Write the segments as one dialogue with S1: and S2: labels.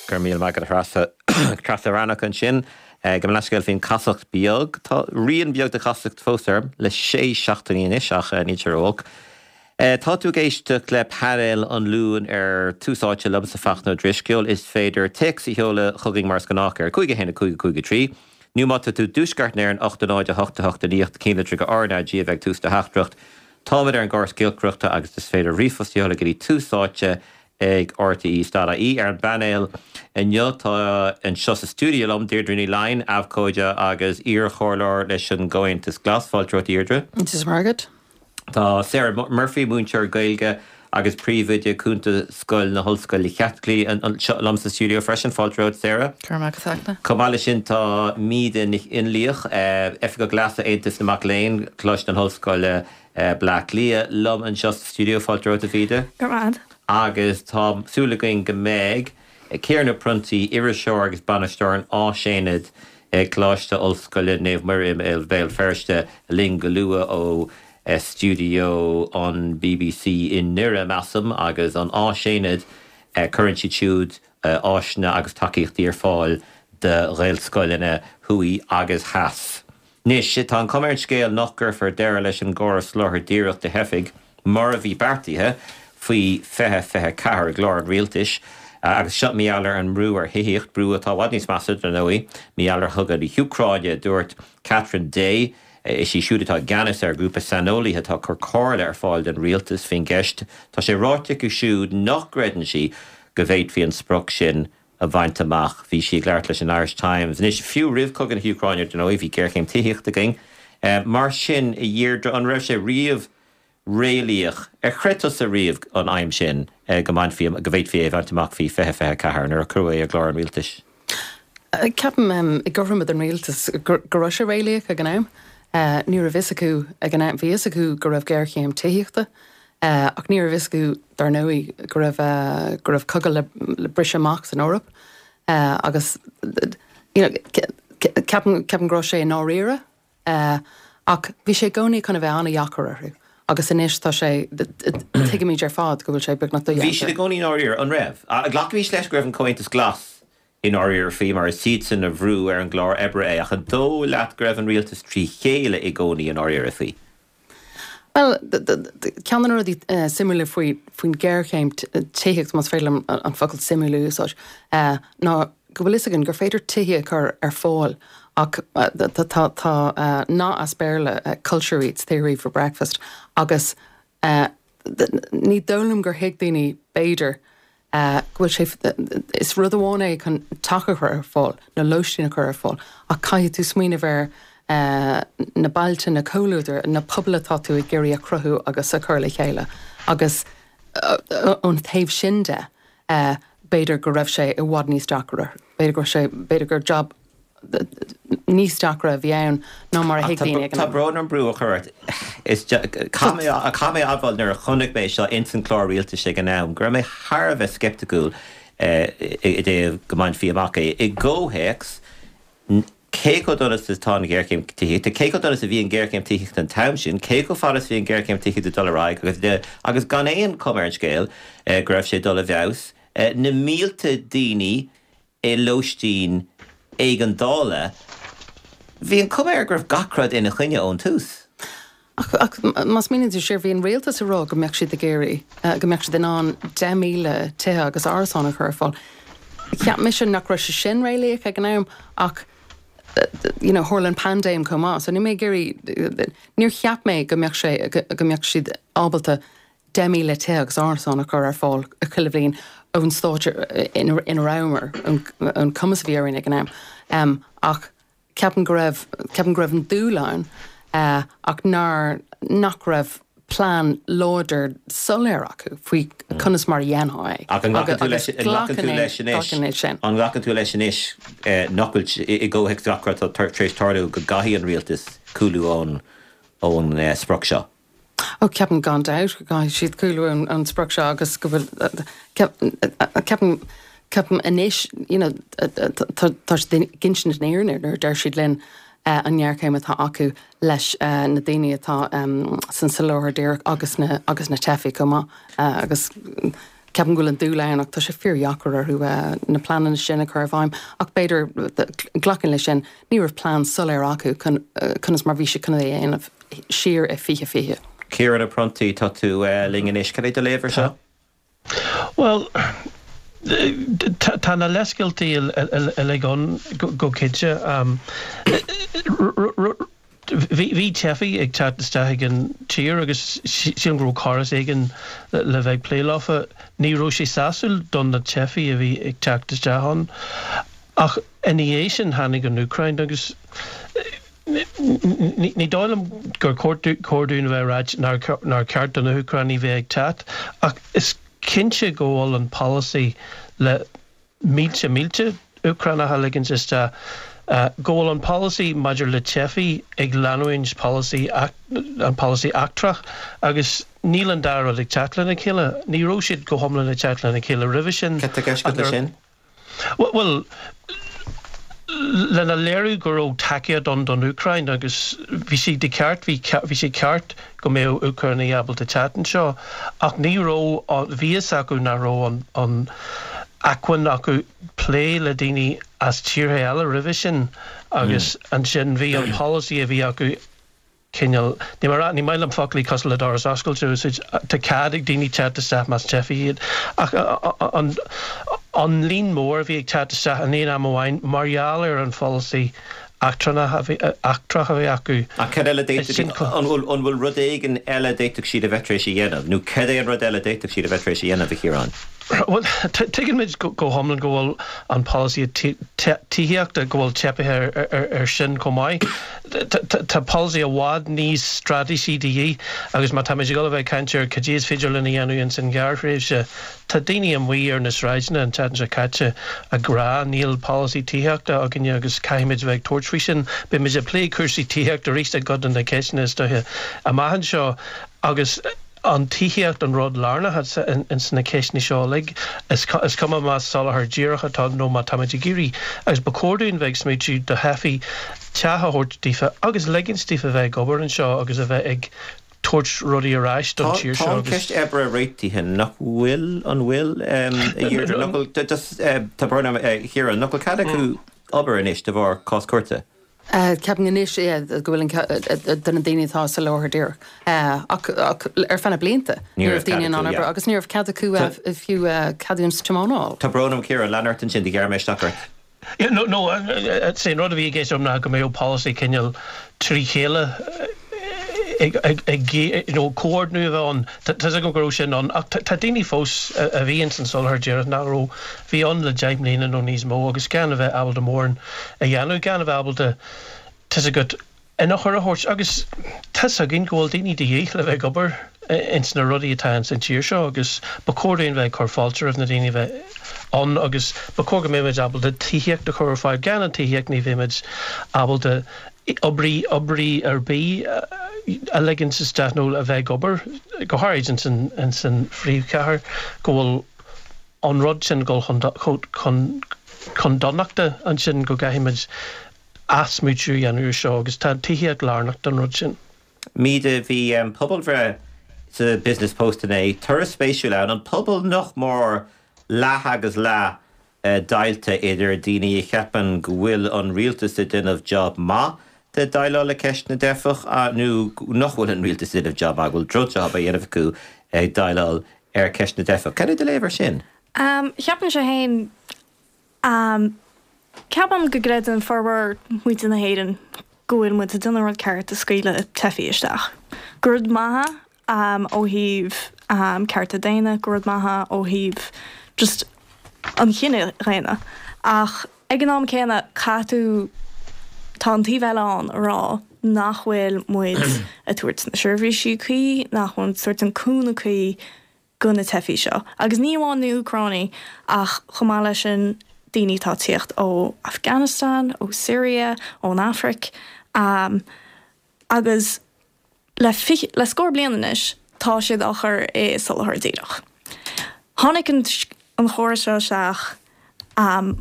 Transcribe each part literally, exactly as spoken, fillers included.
S1: Go raibh míle maith agat, Treasa Treasa Wranach ansin. Gabh mo leithscéal faoin chasacht beag. Tá rian beag de chasacht fós orm le sé seachtainí anois ach níl sé ró-olc. Tá tú ag éisteacht le painéal an Luain ar Tús Áite liomsa Fachtna Ó Drisceoil is féidir téacs a sheoladh chugainn mar is gnách ar cúig a haon a cúig a cúig a trí. Nó má tá tú i dtuaisceart na hÉireann ocht a náid a hocht a hocht a naoi cinn go RnaG a bheidh tús do theachtaireacht. Táimid ar an gcóras giolcaireachta agus is féidir ríomhphost a sheoladh go dtí tús áite ag RTE dot ie ar an bpainéal inniu tá anseo sa stiúideo liom Deirdre Ní Laighin, abhcóide agus iarchomhairleoir leis an gComhaontas Glas fáilte romhat Deirdre.
S2: Is Margaret.
S1: Tá Sarah Murphy múinteoir Gaeilge agus príomhoide cúnta Scoil na hOllscoile Caitlicí anseo liom sa stiúideo freisin fáilte romhat Sarah. Chomh maith leis sin tá Míde Nic Fhionnlaoich, Oifigeach Leasa Aontas na Mac Léinn, Coláiste na hOllscoile Bleá Cliath liom anseo sa stiúideo fáilte romhat a Mhíde.
S3: Go
S1: Agus tá súil againn go mbeidh Ciarán Ó Pronntaigh iriseoir agus bainisteoir an Áisaonaid ag Coláiste Ollscoile Naomh Muire i Béal Feirste linn go luath ó stiúideo an BBC i nDoire measaim agus an Áisaonad cuireann siad siúd áiseanna agus tacaíochtaí ar fáil do Ghaelscoileanna thuaidh agus theas. Anois tá an chuma ar an scéal nach gcuirfear deireadh leis an gcóras soláthair díreach do theifigh mar a bhí beartaithe faoi fiche fiche ceathair i gclár an rialtais agus seo mar gheall ar an mbrú ar thithíocht brú atá i bhfad níos measa dar ndóigh mar gheall ar chogadh na hÚcráine dúirt Catherine Day is í siúd atá i gceannas ar ghrúpa saineolaithe atá ag cur comhairle ar fáil don rialtas faoin gceist Tá sé ráite aici siúd nach gcreideann sí go bhféadfaí an sprioc sin a bhaint amach bhí sí ag labhairt leis an Irish Times. Anois fiú roimh chogadh na hÚcráine dar ndóigh bhí géarchéim tithíochta againn mar sin a Dheirdre an raibh sé riamh réalaíoch ar chreid tusa riamh an aidhm sin go mbainfí go bhféadfaí é a bhaint amach faoi fiche fiche ceathair nuair a cuireadh é i gclár an rialtais.
S2: Ceapaim i gcothroime don rialtas go raibh sé réalaíoch ag an am. Ní raibh fhios acu ag an am bhí fhios acu go raibh géarchéim tithíochta, ach ní raibh fhios acu dar ndóigh go raibh go raibh cogadh le, le briseadh amach san Eoraip agus you know, ceapaim ceapaim go raibh sé i ndáiríre ach bhí sé i gcónaí chun a bheith an-deacair orthu agus anois tá sé tuigimid ar fad go bhfuil sé beagnach
S1: Bhí siad i gcónaí i ndáiríre an raibh. Glacaimid leis go raibh an Comhaontas Glas i ndáiríre faoi mar is iadsan a bhrúigh ar an gclár oibre é ach an dóigh leat go raibh an rialtas trí chéile i gcónaí i ndáiríre faoi.
S2: Well ceann de na rudaí suimiúla faoi faoin géarchéim tithíochta más féidir liom an focal suimiúil a úsáid ná go bhfuil fhios againn gur féidir tithe a chur ar fáil ach tá tá nath as Béarla culture eats theory for breakfast agus ní dóigh liom gur thuig daoine b'fhéidir go bhfuil sé is rud amháin é chun teach a chur ar fáil nó lóistín a chur ar fáil ach caithfidh tú smaoineamh ar na bailte na comhluadair na pobail atá tú ag iarraidh a chruthú agus a chur le chéile agus ón taobh sin de b'fhéidir go raibh sé i bhfad níos deacra b'fhéidir go raibh sé b'fhéidir gur job níos deacra a bhí ann ná mar a thuig daoine ag an
S1: Tá brón orm brú a chur ort is caithfidh mé admháil nuair a chonaic mé seo ins an clár rialtais ag an am go raibh mé thar a bheith sceipticiúil i dtaobh go mbainfí amach é i gcomhthéacs cé chomh dona is atá an ghéarchéim tithíochta, cé chomh dona is a bhí an ghéarchéim tithíochta an t-am sin, cé chomh fada is bhí an ghéarchéim tithíochta dul ar aghaidh agus agus gan aon chuma ar an scéal go raibh sé dul i bhfeabhas, na mílte daoine i lóistín éigeandála, bhí an chuma air go raibh gach rud ina choinne ón tús.
S2: Ach ach más smaoiníonn tú siar bhí an rialtas ag rá go mbeadh siad ag iarraidh go mbeadh siad in ann deich míle tithe agus árasán a chur ar fáil. Cheap mise nach raibh sé sin réalaíoch ag an am ach you know, tharla an paindéim chomh maith, so ní mé ag iarraidh níor cheap mé go mbeadh sé go mbeadh siad ábalta deich míle tithe agus árasán a chur ar fáil chuile bhliain ón stát ina ina rabhamar an cumas a bhí orainn ag an am. Um, ach ceapaim go raibh ceapaim go raibh an dúil ann uh, ach nár nach raibh plean láidir soiléir acu faoi conas mar a dhéanfaí é.
S1: Ach an nglacann tú leis an nglacann tú leis anois an nglacann tú leis anois nach bhfuil i gcomhthéacs gach rud atá tar éis tarlú go gcaithfidh an rialtas cúlú ón ón sprioc seo.
S2: Ó ceapaim gan dabht go gcaithfidh siad cúlú ón ón sprioc seo agus go bhfuil ceapaim ceapaim anois you know, tá tá siad ag insint an fhírinne nuair a deir siad linn an ngéarchéim atá acu leis na daoine atá san soláthar díreach agus na agus na teifigh chomh maith agus Ceapaim go bhfuil an dúil ann ach tá sé fíordheacair orthu na pleananna sin a chur i bhfeidhm ach b'fhéidir glacaim leis sin ní raibh plean soiléir acu conas mar bhí sé chun é a dhéanamh siar i fiche fiche.
S1: Ciarán Ó Pronntaigh, tá tú linn anois, cad é do léamh air seo?
S3: Bhuel, tá na leithscéaltaí uilig ann go cinnte. Bhí teifigh ag teacht isteach ag an tír agus sílim go raibh córas éigin le bheith ag plé leofa. Ní raibh sé sásúil don na teifigh a bhí ag teacht isteach ann. Ach ina dhiaidh sin tháinig an Úcráin agus ní dóigh liom gur cóir dúinn a bheith ag ráit nár cheart do na hÚcránaigh bheith ag teacht ach is cinnte go bhfuil an polasaí le mílte mílte Úcránach a ligint isteach, go bhfuil an polasaí maidir le teifigh ag leanúint polasaí an polasaí eachtrach agus níl an dá rud ag teacht lena chéile. Ní raibh siad go hiomlán ag teacht lena chéile roimhe sin.
S1: Cad tá i gceist agat leis sin?
S3: Bhuel, lena léiriú go raibh tacaíocht ann don Úcráin agus bhí sé de cheart, bhí bhí sé ceart go mbeadh Úcránaigh ábalta teacht anseo ach ní raibh, bhí fhios acu nach raibh an an acmhainn acu plé le daoine as tíortha eile roimhe sin agus ansin bhí an polasaí a bhí acu cineál, ní mar, ní maith liom foclaí cosúil le doras oscailte a úsáid, tá cead ag daoine teacht isteach más teifigh iad ach an an líon mór a bhí ag teacht isteach in aon am amháin mar gheall ar an pholasaí eachtrannach a bhí eachtrach a bhí acu.
S1: Ach cad eile d'fhéadfadh, an bhfuil an bhfuil rud éigin eile a d'fhéadfadh siad a bheith tar éis a dhéanamh nó cad é an rud eile a d'fhéadfadh siad a bheith tar éis a dhéanamh, a Chiaráin?
S3: Bhuel, tuigeann muid go hiomlán go bhfuil an polasaí tithíochta, go bhfuil teipithe air sin chomh maith. Tá polasaí i bhfad níos straitéisí de dhíth agus má táimid ag dul a bheith ag caint ar cad é is féidir linn a dhéanamh ins an ghearrthréimhse, tá daoine amuigh ar na sráideanna an tseachtain seo caite ag rá níl polasaí tithíochta againne agus caithfimid a bheith ag tabhairt faoi sin. Beimid ag plé cúrsaí tithíochta arís i gcuid de na ceisteanna is dóiche amach anseo agus an tithíocht an rud lárnach ins na ceisteanna seo uilig. Is cuma más soláthar díreach atá ann nó má táimid ag iarraidh, agus ba chóir dúinn bheith ag smaoitiú do theifigh teach a thabhairt daofa agus ligint daofa bheith ag obair anseo agus a bheith ag tabhairt rudaí ar ais don tír
S1: seo. Tá an cheist oibre réitithe, nach bhfuil? An bhfuil, a Dheirdre? Nach bhfuil, tá brón orm, a Chiaráin, nach bhfuil cead acu obair anois de bharr cás cúirte?
S2: Ceapaim anois go bhfuil an do na daoine atá sa soláthar díreach. Ach ar feadh na blianta ní raibh daoine in ann obair agus ní raibh cead acu fiú ceadúnas tiomána a fháil.
S1: Tá brón orm Ciarán, lean ort ansin, do ghearr mé isteach ort.
S3: No, no, is é an rud a bhí i gceist agam ná go mbeadh polasaí cineál trí chéile ag, you know, comhordnú a bheith ann. Tá's agam go raibh sin ann ach tá daoine fós a bhí ins an soláthar díreach nach raibh, bhí ann le deich mbliana nó níos mó agus gan a bheith ábalta mórán a dhéanamh, gan a bheith ábalta, tá's agat, ionchur a thabhairt agus tá's againn go bhfuil daoine de dhíth le bheith ag obair ins na rudaí atá ins an tír seo agus ba chóir dúinn bheith ag cur fáilte roimh na daoine a bheith ann agus ba chóir go mbeimid ábalta tithíocht a chur ar fáil. Gan an tithíocht ní bheimid ábalta oibrí, oibrí ar bith a ligint isteach nó a bheith ag obair, go háirid ins an, ins an phríomhchathair, go bhfuil an rud sin ag dul chun, chun, chun donachta ansin go gcaithfimid athsmaoitiú a dhéanamh ar seo agus tá an tithíocht lárnach don rud sin.
S1: Míde, bhí pobalbhreith sa Business Post inné, toradh spéisiúil ann, an pobal nach mór leath agus leath deighilte idir daoine a cheapann go bhfuil an rialtas ag déanamh job maith de déileáil le ceist na dteifeach nó nach bhfuil an rialtas ag déanamh job maith, go bhfuil drochjob á dhéanamh acu ag déileáil ar ceist na dteifeach. Cad é do léamh ar sin?
S4: Cheapfainnse féin, ceapaim go gcreideann formhór muintir na hÉireann go bhfuil muid ag déanamh an rud ceart ag scaoileadh teifigh isteach. Gur rud maith é ó thaobh cearta daonna, gur rud maith é ó thaobh just an chine dhaonna. Ach ag an am céanna, caithfidh tú, tá an taobh eile ann a rá nach bhfuil muid ag tabhairt na seirbhísí cuí, nach bhfuil muid ag tabhairt an cúnamh cuí go na teifigh seo. Agus ní amháin na hÚcránaigh ach chomh maith leis sin daoine atá ag tíocht ó Afghanistan, ó Syria, ón Afraic. Agus le fiche, le scór bliain anois tá siad á chur i soláthar díreach. Tháinig an an chóras seo isteach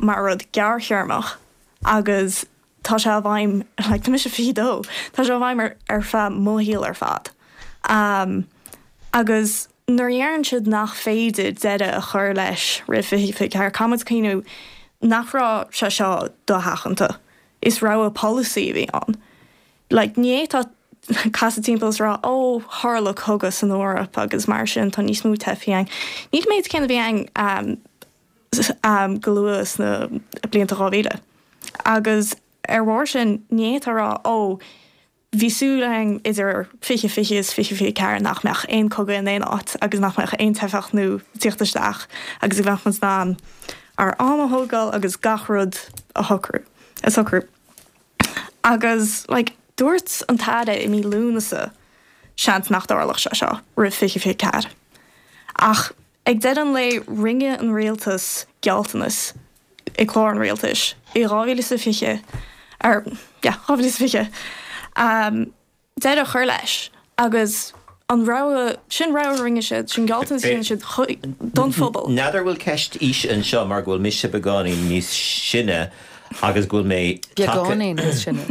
S4: mar rud gearrthéarmach agus tá sé i bhfeidhm, like tá mise fiche dó, tá sé i bhfeidhm ar ar feadh mo shaol ar fad. Agus Nuair a deireann siad nach féidir deireadh a chur leis roimh fiche fiche ceathair, caithfidh muid cuimhniú nach raibh sé seo dosheachanta. Is rogha polasaí a bhí ann. Like, ní fhéadfá casadh timpeall is rá, ó, tharla cogadh san Eoraip agus mar sin tá níos mó teifigh ann. Níl an méid céanna a bhí ann um, go luath sna blianta dhá mhíle. Agus ar bharr sin, ní fhéadfá rá, ó, bhí súil againn idir fiche fiche is fiche fiche ceathair nach mbeadh aon cogadh in aon áit agus nach mbeadh aon teifeach nua ag tíocht isteach agus go mbeadh muid in ann ár am a thógáil agus gach rud a shocrú, a socrú. Agus like, dúirt an tAire i mí Lúnasa seans nach dtarlódh sé seo roimh fiche fiche ceathair. Ach ag deireadh an lae rinne an rialtas gealltanas i gclár an rialtais i dhá mhíle is a fiche, ar, yeah, dhá mhíle is a fiche, um, deireadh a chur leis agus an rogha, sin rogha a rinne siad, sin gealltanas a rinne siad don phobal.
S1: N'fheadar bhfuil ceist aoise anseo mar go bhfuil mise beagáinín níos sine agus go bhfuil mé
S2: Beagáinín níos sine.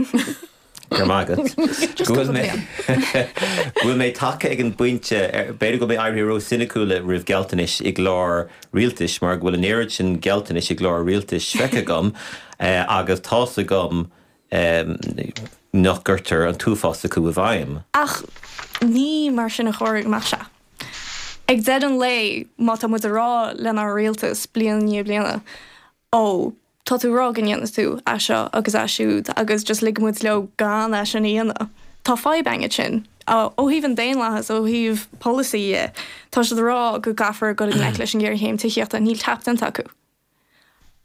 S1: Go raibh maith agat. Go bhfuil mé go bhfuil mé tagtha ag an bpointe, b'fhéidir go bhfuil mé éirithe ró-soiniciúil roimh gealltanais i gclár rialtais mar go bhfuil an oiread sin gealltanais i gclár rialtais feicthe agam agus tá's agam nach gcuirtear an t-uafás acu i bhfeidhm.
S4: Ach ní mar sin a chóir go mbeadh sé. Ag deireadh an lae, má tá muid a rá lenár rialtas bliain i ndiaidh bliana, ó, tá tú ag rá go ndéanfaidh tú é seo agus é siúd agus just ligfidh muid leo gan é sin a dhéanamh. Tá fadhb againn ansin. Ó thaobh an daonlathas, ó thaobh polasaí dhe, tá siad ag rá go gcaithfear dul i ngleic leis an ghéarchéim tithíochta, níl ceap déanta acu.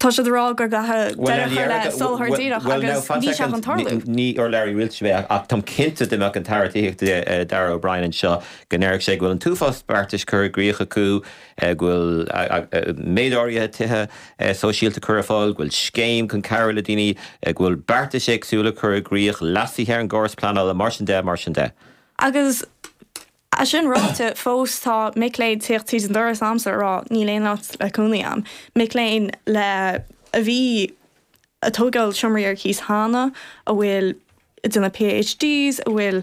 S4: Tá siad ag rá go gcaithfidh deireadh a chur le soláthar díreach agus níl sé chun tarlú.
S1: Ní urlabhraí rialtais mé ach táim cinnte dá mbeadh an tAire Tithíochta Darragh O'Brien anseo go ndéarfadh sé go bhfuil an t-uafás beartais curtha i gcrích acu, go bhfuil méid áirithe tithe sóisialta curtha ar fáil, go bhfuil scéim chun cabhrú le daoine, go bhfuil beartais éagsúla curtha i gcrích, leasuithe ar an gcóras pleanála, mar sin de, mar sin de.
S4: Agus é sin ráite, fós tá mic léinn ag tíocht tríd an doras a'msa ag rá níl aon áit le cónaí a'm. Mic léinn le a bhí ag tógáil seomraí ar cíos cheana, a bhfuil ag déanamh PhDs, a bhfuil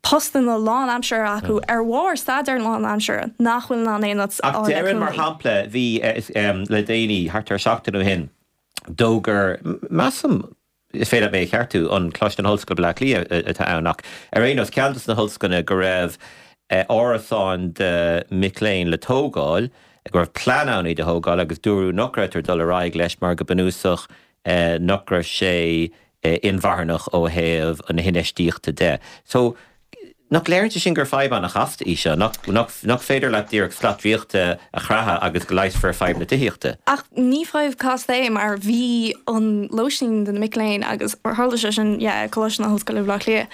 S4: postanna lánaimseartha acu ar bharr staidéar lánaimseartha nach bhfuil in ann aon áit a
S1: Ach
S4: fháil le
S1: déarfainn, mar
S4: cónaí.
S1: shampla, bhí le déanaí, thart ar seachtain ó shin, d'fhógair, measaim, is féidir leat mé a cheartú, an Coláiste na hOllscoile Baile Átha Cliath atá ann ach ar aon nós, ceann de na hollscoileanna go raibh árasáin do mhic léinn le tógáil, go raibh plean ann iad a thógáil agus dúradh nach raibh dul ar aghaidh leis mar go bunúsach nach raibh sé inmharthanach ó thaobh na hinfheistíochta de. So, nach léiríonn sé sin gur fadhb an-chasta í seo, nach, nach, nach féidir leat díreach slat draíochta a chroitheadh agus go leigheasfar fadhb na tithíochta?
S4: Ach ní fadhb casta é mar bhí an lóistín do na mic léinn agus tharla sé sin yeah, Coláiste na hOllscoile Bhaile Átha Cliath.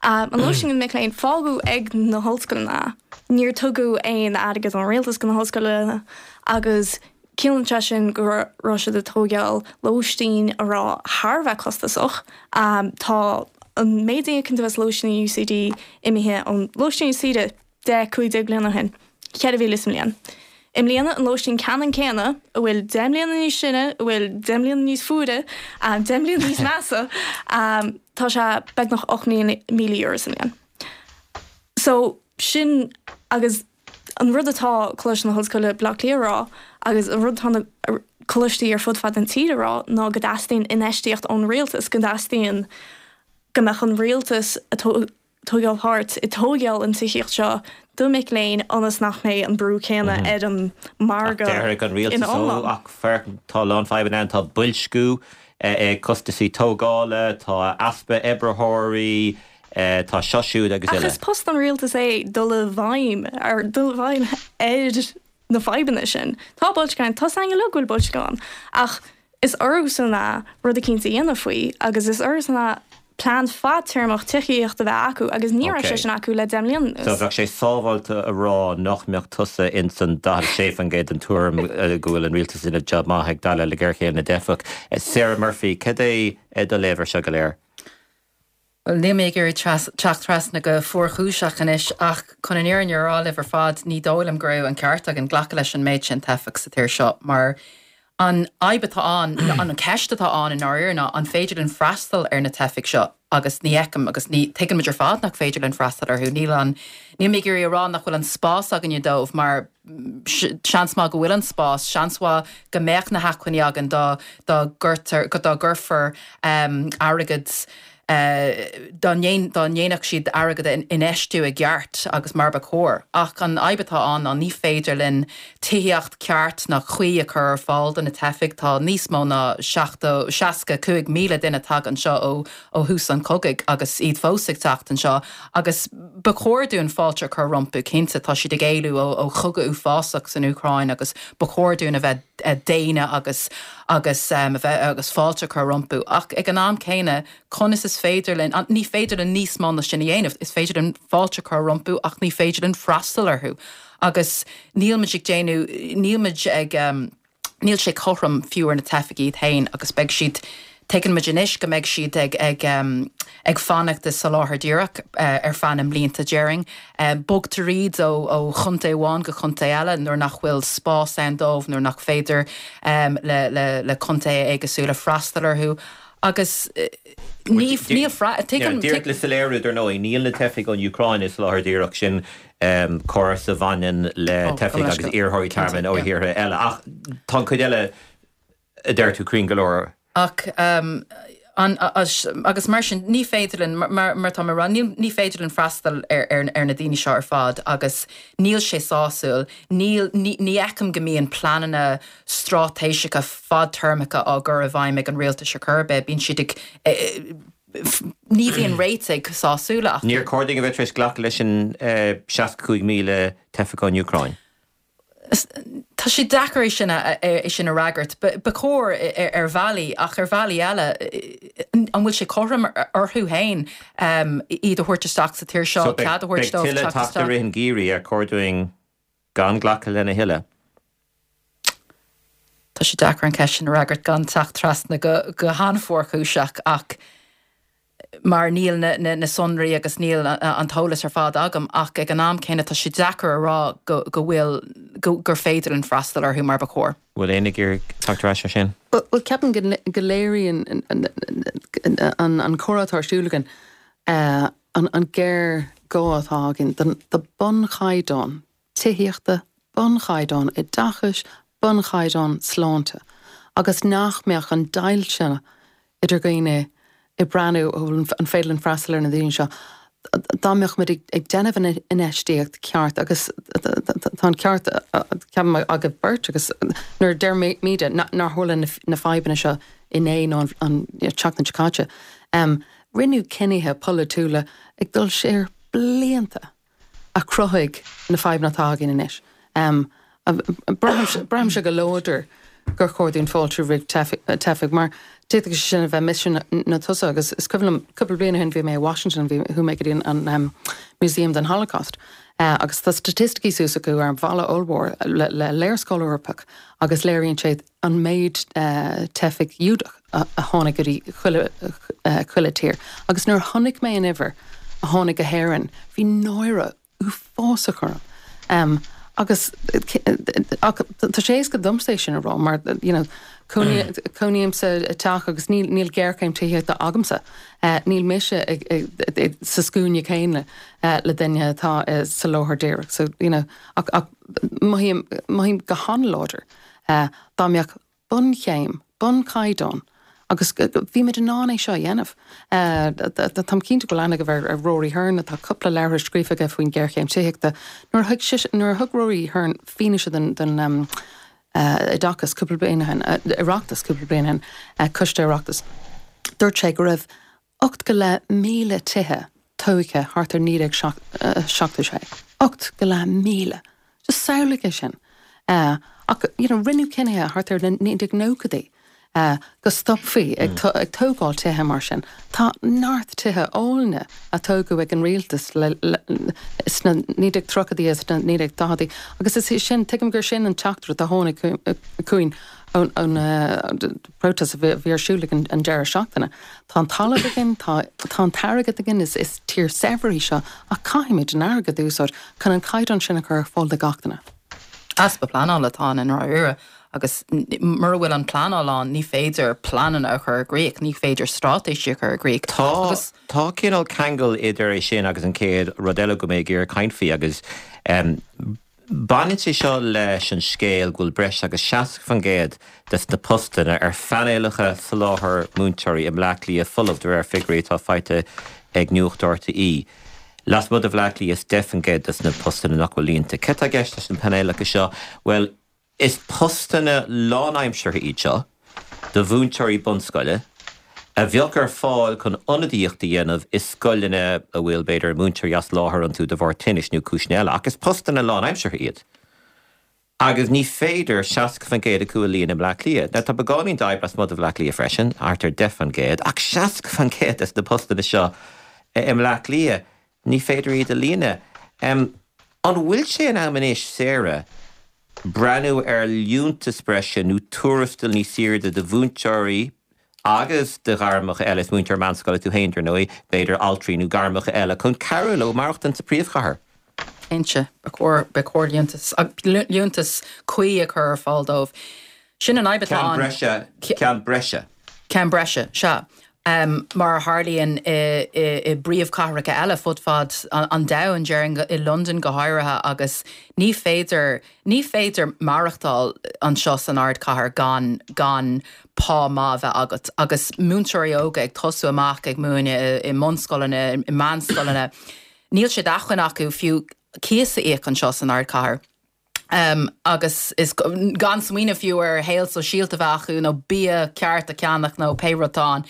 S4: Um, an lóistín do na mic léinn fágadh ag na hollscoileanna. Níor tugadh aon airgead ón rialtas go na hollscoileanna agus ciallaíonn sé sin go raibh siad ag tógáil lóistín a raibh thar a bheith costasach. Um, tá an méid a íocann tú as lóistín in UCD imithe ón lóistín UCD deich cúig déag bliana ó shin, ceithre mhíle sa mbliain. I mbliana an lóistín ceannann céanna, a bhfuil deich mbliana níos sine, a bhfuil deich mbliana níos fuaire, um, deich mbliana níos measa, um, tá sé beagnach ocht míle euro sa mbliain. So sin agus an rud atá Coláiste na hOllscoile Baile Átha Cliath a rá agus an rud atá na coláistí ar fud fad an tír a rá ná go dteastaíonn infheistíocht ón rialtas, go dteastaíonn go mbeadh an rialtas ag tógáil páirt i tógáil an tithíocht seo do mic léinn ionas nach mbeidh an brú céanna ar an margadh
S1: Déarfaidh an rialtas
S4: ina iomlán.
S1: Ach féach, tá a lán fadhbanna ann, tá boilsciú, costasaí tógála, tá easpa oibritheoirí, tá seo siúd agus
S4: Ach
S1: eile.
S4: is post an rialtas é dul i bhfeidhm ar dul i bhfeidhm ar na fadhbanna sin. Tá boilsciú ann, tá a fhios againn uilig go bhfuil boilsciú ann, ach is orthusan é rud eicínt a dhéanamh faoi agus is orthusan é plean fadtéarmach tithíochta a bheith acu agus ní raibh sé sin acu le deich mbliana anuas.
S1: So bheadh sé sábháilte a rá nach mbeadh tusa ins an daichead a sé faoin gcéad den tuairim go bhfuil an rialtas ina jab maith ag déileáil le géarchéim na dteifeach. Sarah Murphy, cad é do léamh air seo go léir?
S2: Well, níl mé ag iarraidh teacht trasna go fuarchúiseach anois ach chun an fhírinne a rá libh ar fad ní dóigh liom go raibh an ceart againn glacadh leis an méid sin teifeach sa tír seo mar an fhadhb atá ann, an ceist atá ann i ndáiríre ná an féidir linn freastal ar na teifigh seo.
S5: Agus ní fheicim agus ní tuigeann muid ar fad nach féidir linn freastal orthu. Níl an níl mé ag iarraidh a rá nach bhfuil an spás againne dóibh mar seans maith go bhfuil an spás, seans mhaith go mbeadh na hacmhainní againn dá dá gcuirtear go dá gcuirfear um, airgead dá ndéanfadh siad airgead a infheistiú i gceart agus mar ba chóir. Ach an fhadhb atá ann ná ní féidir linn tithíocht ceart ná cuí a chur ar fáil do na teifigh tá níos mó ná seachtó seasca cúig míle duine tagtha anseo ó ó thús an chogaidh agus iad fós ag teacht anseo agus ba chóir dúinn fáilte a chur rompu cinnte tá siad ag éalú ó ó chogadh uafásach san Úcráin agus ba chóir dúinn a bheith daonna agus agus um, a bheith agus fáilte a chur rompu ach ag an am céanna conas is féidir linn ní féidir linn níos mó ná sin a dhéanamh is féidir linn fáilte a chur rompu ach ní féidir linn freastal orthu agus níl muid ag déanamh níl muid ag um, níl sé cothrom fiú ar na teifigh iad féin agus beidh siad Tuigeann muid anois go mbeidh siad ag ag um, ag fanacht i soláthar díreach uh, ar feadh na mblianta déarfainn. Um, Bogtar iad ó ó chontae amháin go chontae eile nuair nach bhfuil spás ann dóibh nuair nach féidir um, le, le, le contae éagsúla freastal orthu. Agus uh, ní níl
S1: Díreach le soiléiriú dar ndóigh níl na teifigh ón Úcráin i soláthar díreach sin um, córas a bhaineann le oh, teifigh agus iarrthóirí tearmainn ó thíortha eile ach tá cuid eile a deir tú cruinn go leor.
S5: Ach um, an, agus mar sin ní féidir linn mar, mar tá rá ní féidir linn freastal ar, ar, ar na daoine seo ar fad agus níl sé sásúil, níl ní, ní fheicim go mbíonn pleananna straitéiseacha fadtéarmacha á gcur i bhfeidhm ag an rialtas ar chor ar bith, bíonn siad ag e, ní bhíonn réitigh sásúla.
S1: Níor chóir dúinn a bheith tar éis glacadh leis an seasca cúig míle teifeach ón Úcráin.
S5: Tá sé deacair é sin é sin a fhreagairt, ba chóir ar bhealaí ach ar bhealaí eile an bhfuil sé cothrom orthu féin iad a thabhairt isteach sa tír seo cead a thabhairt dóibh
S1: tuilleadh teacht i rith an gheimhridh ar chóir dúinn gan glacadh lena thuilleadh.
S5: Tá sé deacair an ceist sin a fhreagairt gan teacht trasna go go han-fhuarchúiseach ach mar níl na, na, na sonraí agus níl an t-eolas ar fad agam ach ag an am céanna tá sé deacair a rá go, go bhfuil go, gur féidir linn freastal orthu mar ba chóir.
S1: Bhfuil aon gur teacht ar ais sin?
S2: Well ceapaim go léiríonn an, an comhrá atá ar siúl againn uh, an, an géarghá atá againn don do bunchaighdeán tithíochta, bunchaighdeán oideachais, bunchaighdeán sláinte, agus nach mbeadh an deighilt sin idir dhaoine ag breathnú an féidir linn freastal ar na daoine seo. Dá mbeadh muid ag déanamh an infheistíocht ceart agus tá an ceart ceapaim agaibh beirt agus nuair deir muid nár tharla na fadhbanna seo inné nó an tseachtain seo caite. Rinneadh cinnithe polaitiúla ag dul siar blianta a chruthaigh na fadhbanna atá againn anois. Braithimse go láidir gur chóir dúinn fáilte roimh teifigh mar d'fhéadfadh sé sin a bheith mise nó tusa agus is cuimhin liom cúpla bliain ó shin bhí mé i Washington bhí chuaigh mé go dtí an um, Museum den Holocaust. Uh, agus tá staitisticí suas acu ar an bhalla ollmhór le, le léarscáil Eorpach agus léiríonn sé an méid uh, teifigh Giúdach a, a tháinig go dtí chuile, uh, chuile tír. Agus nuair chonaic mé an uimhir a tháinig go hÉirinn, bhí náire uafásach orm. Um, agus tá sé éasca domsa sin a rá mar you know, cónaímse i dteach agus níl níl géarchéim tithíochta agamsa. Uh, níl mise sa scuaine céanna uh, le duine atá uh, sa soláthar díreach. So you know, ach, ach mothaím mothaím go han-láidir uh, dá mbeadh bunchéim, bunchaighdeán, agus bhí muid in ann é seo a dhéanamh. Táim cinnte go bhfuil aithne agaibh ar Rory Hearne atá cúpla leabhar scríofa aige faoin géarchéim tithíochta. Nuair a thug nuair a thug Rory Hearne fianaise den den um, oideachas cúpla bliain ó shin, Oireachtas cúpla bliain ó shin, coiste Oireachtas. Dúirt sé go raibh ocht go leith míle tithe tógtha thart ar naoi déag seachtó sé. Ocht go leith míle. Just samhlaigh é sin. Uh, ach you know, rinneadh cinnithe thart ar naoi déag nóchaidí. Uh, go stopfaí ag, mm. ag tógáil tithe mar sin. Tá neart tithe áille a tógadh ag an rialtas sna naoi déag tríochaidí is sna naoi déag daichidí. Agus is sin tuigim gur sin an teachtaireacht a tháinig chugainn ón ón uh, protest a bhí ar siúl an, an deireadh seachtaine. Tá an talamh againn, tá tá an t-airgead againn is is tír saibhir í seo ach caithfimid an airgead a úsáid chun an caighdeán sin a chur ar fáil do gach duine.
S5: Easpa pleanála atá i ndáiríre Agus mura bhfuil an pleanáil ann, ní féidir pleananna a chur i gcrích, ní féidir straitéisí a chur i gcrích.
S1: Tá tá cineál ceangal idir é sin agus an chéad rud eile go mbeidh ag iarraidh caint faoi agus um, Baineann sé seo leis an scéal go bhfuil breis agus seasca faoin gcéad des na postanna ar phainéalacha soláthair múinteoirí i mBleá Cliath folamh de réir figiúirí atá faighte ag Nuacht RTÉ. Lasmuigh de Bhleá Cliath is deich faoin gcéad des na postanna nach bhfuil líonta. Cad tá i gceist leis na painéalacha seo? Bhuel, is postanna lánaimseartha iad seo do mhúinteoirí bunscoile, a bheadh ar fáil chun ionadaíocht a dhéanamh i scoileanna a bhfuil b'fhéidir múinteoirí as láthair iontu de bharr tinnis nó cúiseanna eile, ach is postanna lánaimseartha iad. Agus ní féidir seasca faoin gcéad acu a líonadh i mBleá Cliath. Now tá beagáinín d'fhadhb lasmuigh de Bhleá Cliath freisin, thart ar deich faoin gcéad, ach seasca faoin gcéad des na postanna seo i mBleá Cliath, ní féidir iad a líonadh. An bhfuil sé in am anois, Sarah, breathnú ar liúntas breise nó tuarastal níos airde do mhúinteoirí, agus do ghairmeacha eile, is múinteoir meánscoile tú féin, dar ndóigh, b'fhéidir altraí nó gairmeacha eile, chun cabhrú leo maireachtaint sa phríomhchathair.
S5: Cinnte, ba chóir, ba chóir liúntas, liúntas cuí a chur ar fáil dóibh. Sin an fhadhb atá
S1: Ceann
S5: ann.
S1: breise, ceann breise.
S5: Ceann breise, sea. Mar a tharlaíonn i, i, i bpríomhchathracha eile fud fad an domhain, déarfainn i Londain go háirithe, agus ní féidir, ní féidir maireachtáil anseo san ardchathair gan, gan pá maith a bheith agat. Agus múinteoirí óga ag tosú amach ag múineadh i mbunscoileanna, i meánscoileanna, níl sé d'acmhainn acu fiú cíos a íoc anseo san ardchathair. Um, agus is gan smaoineamh fiú ar shaol sóisialta a bheith acu nó bia ceart a cheannach nó pé rud atá ann.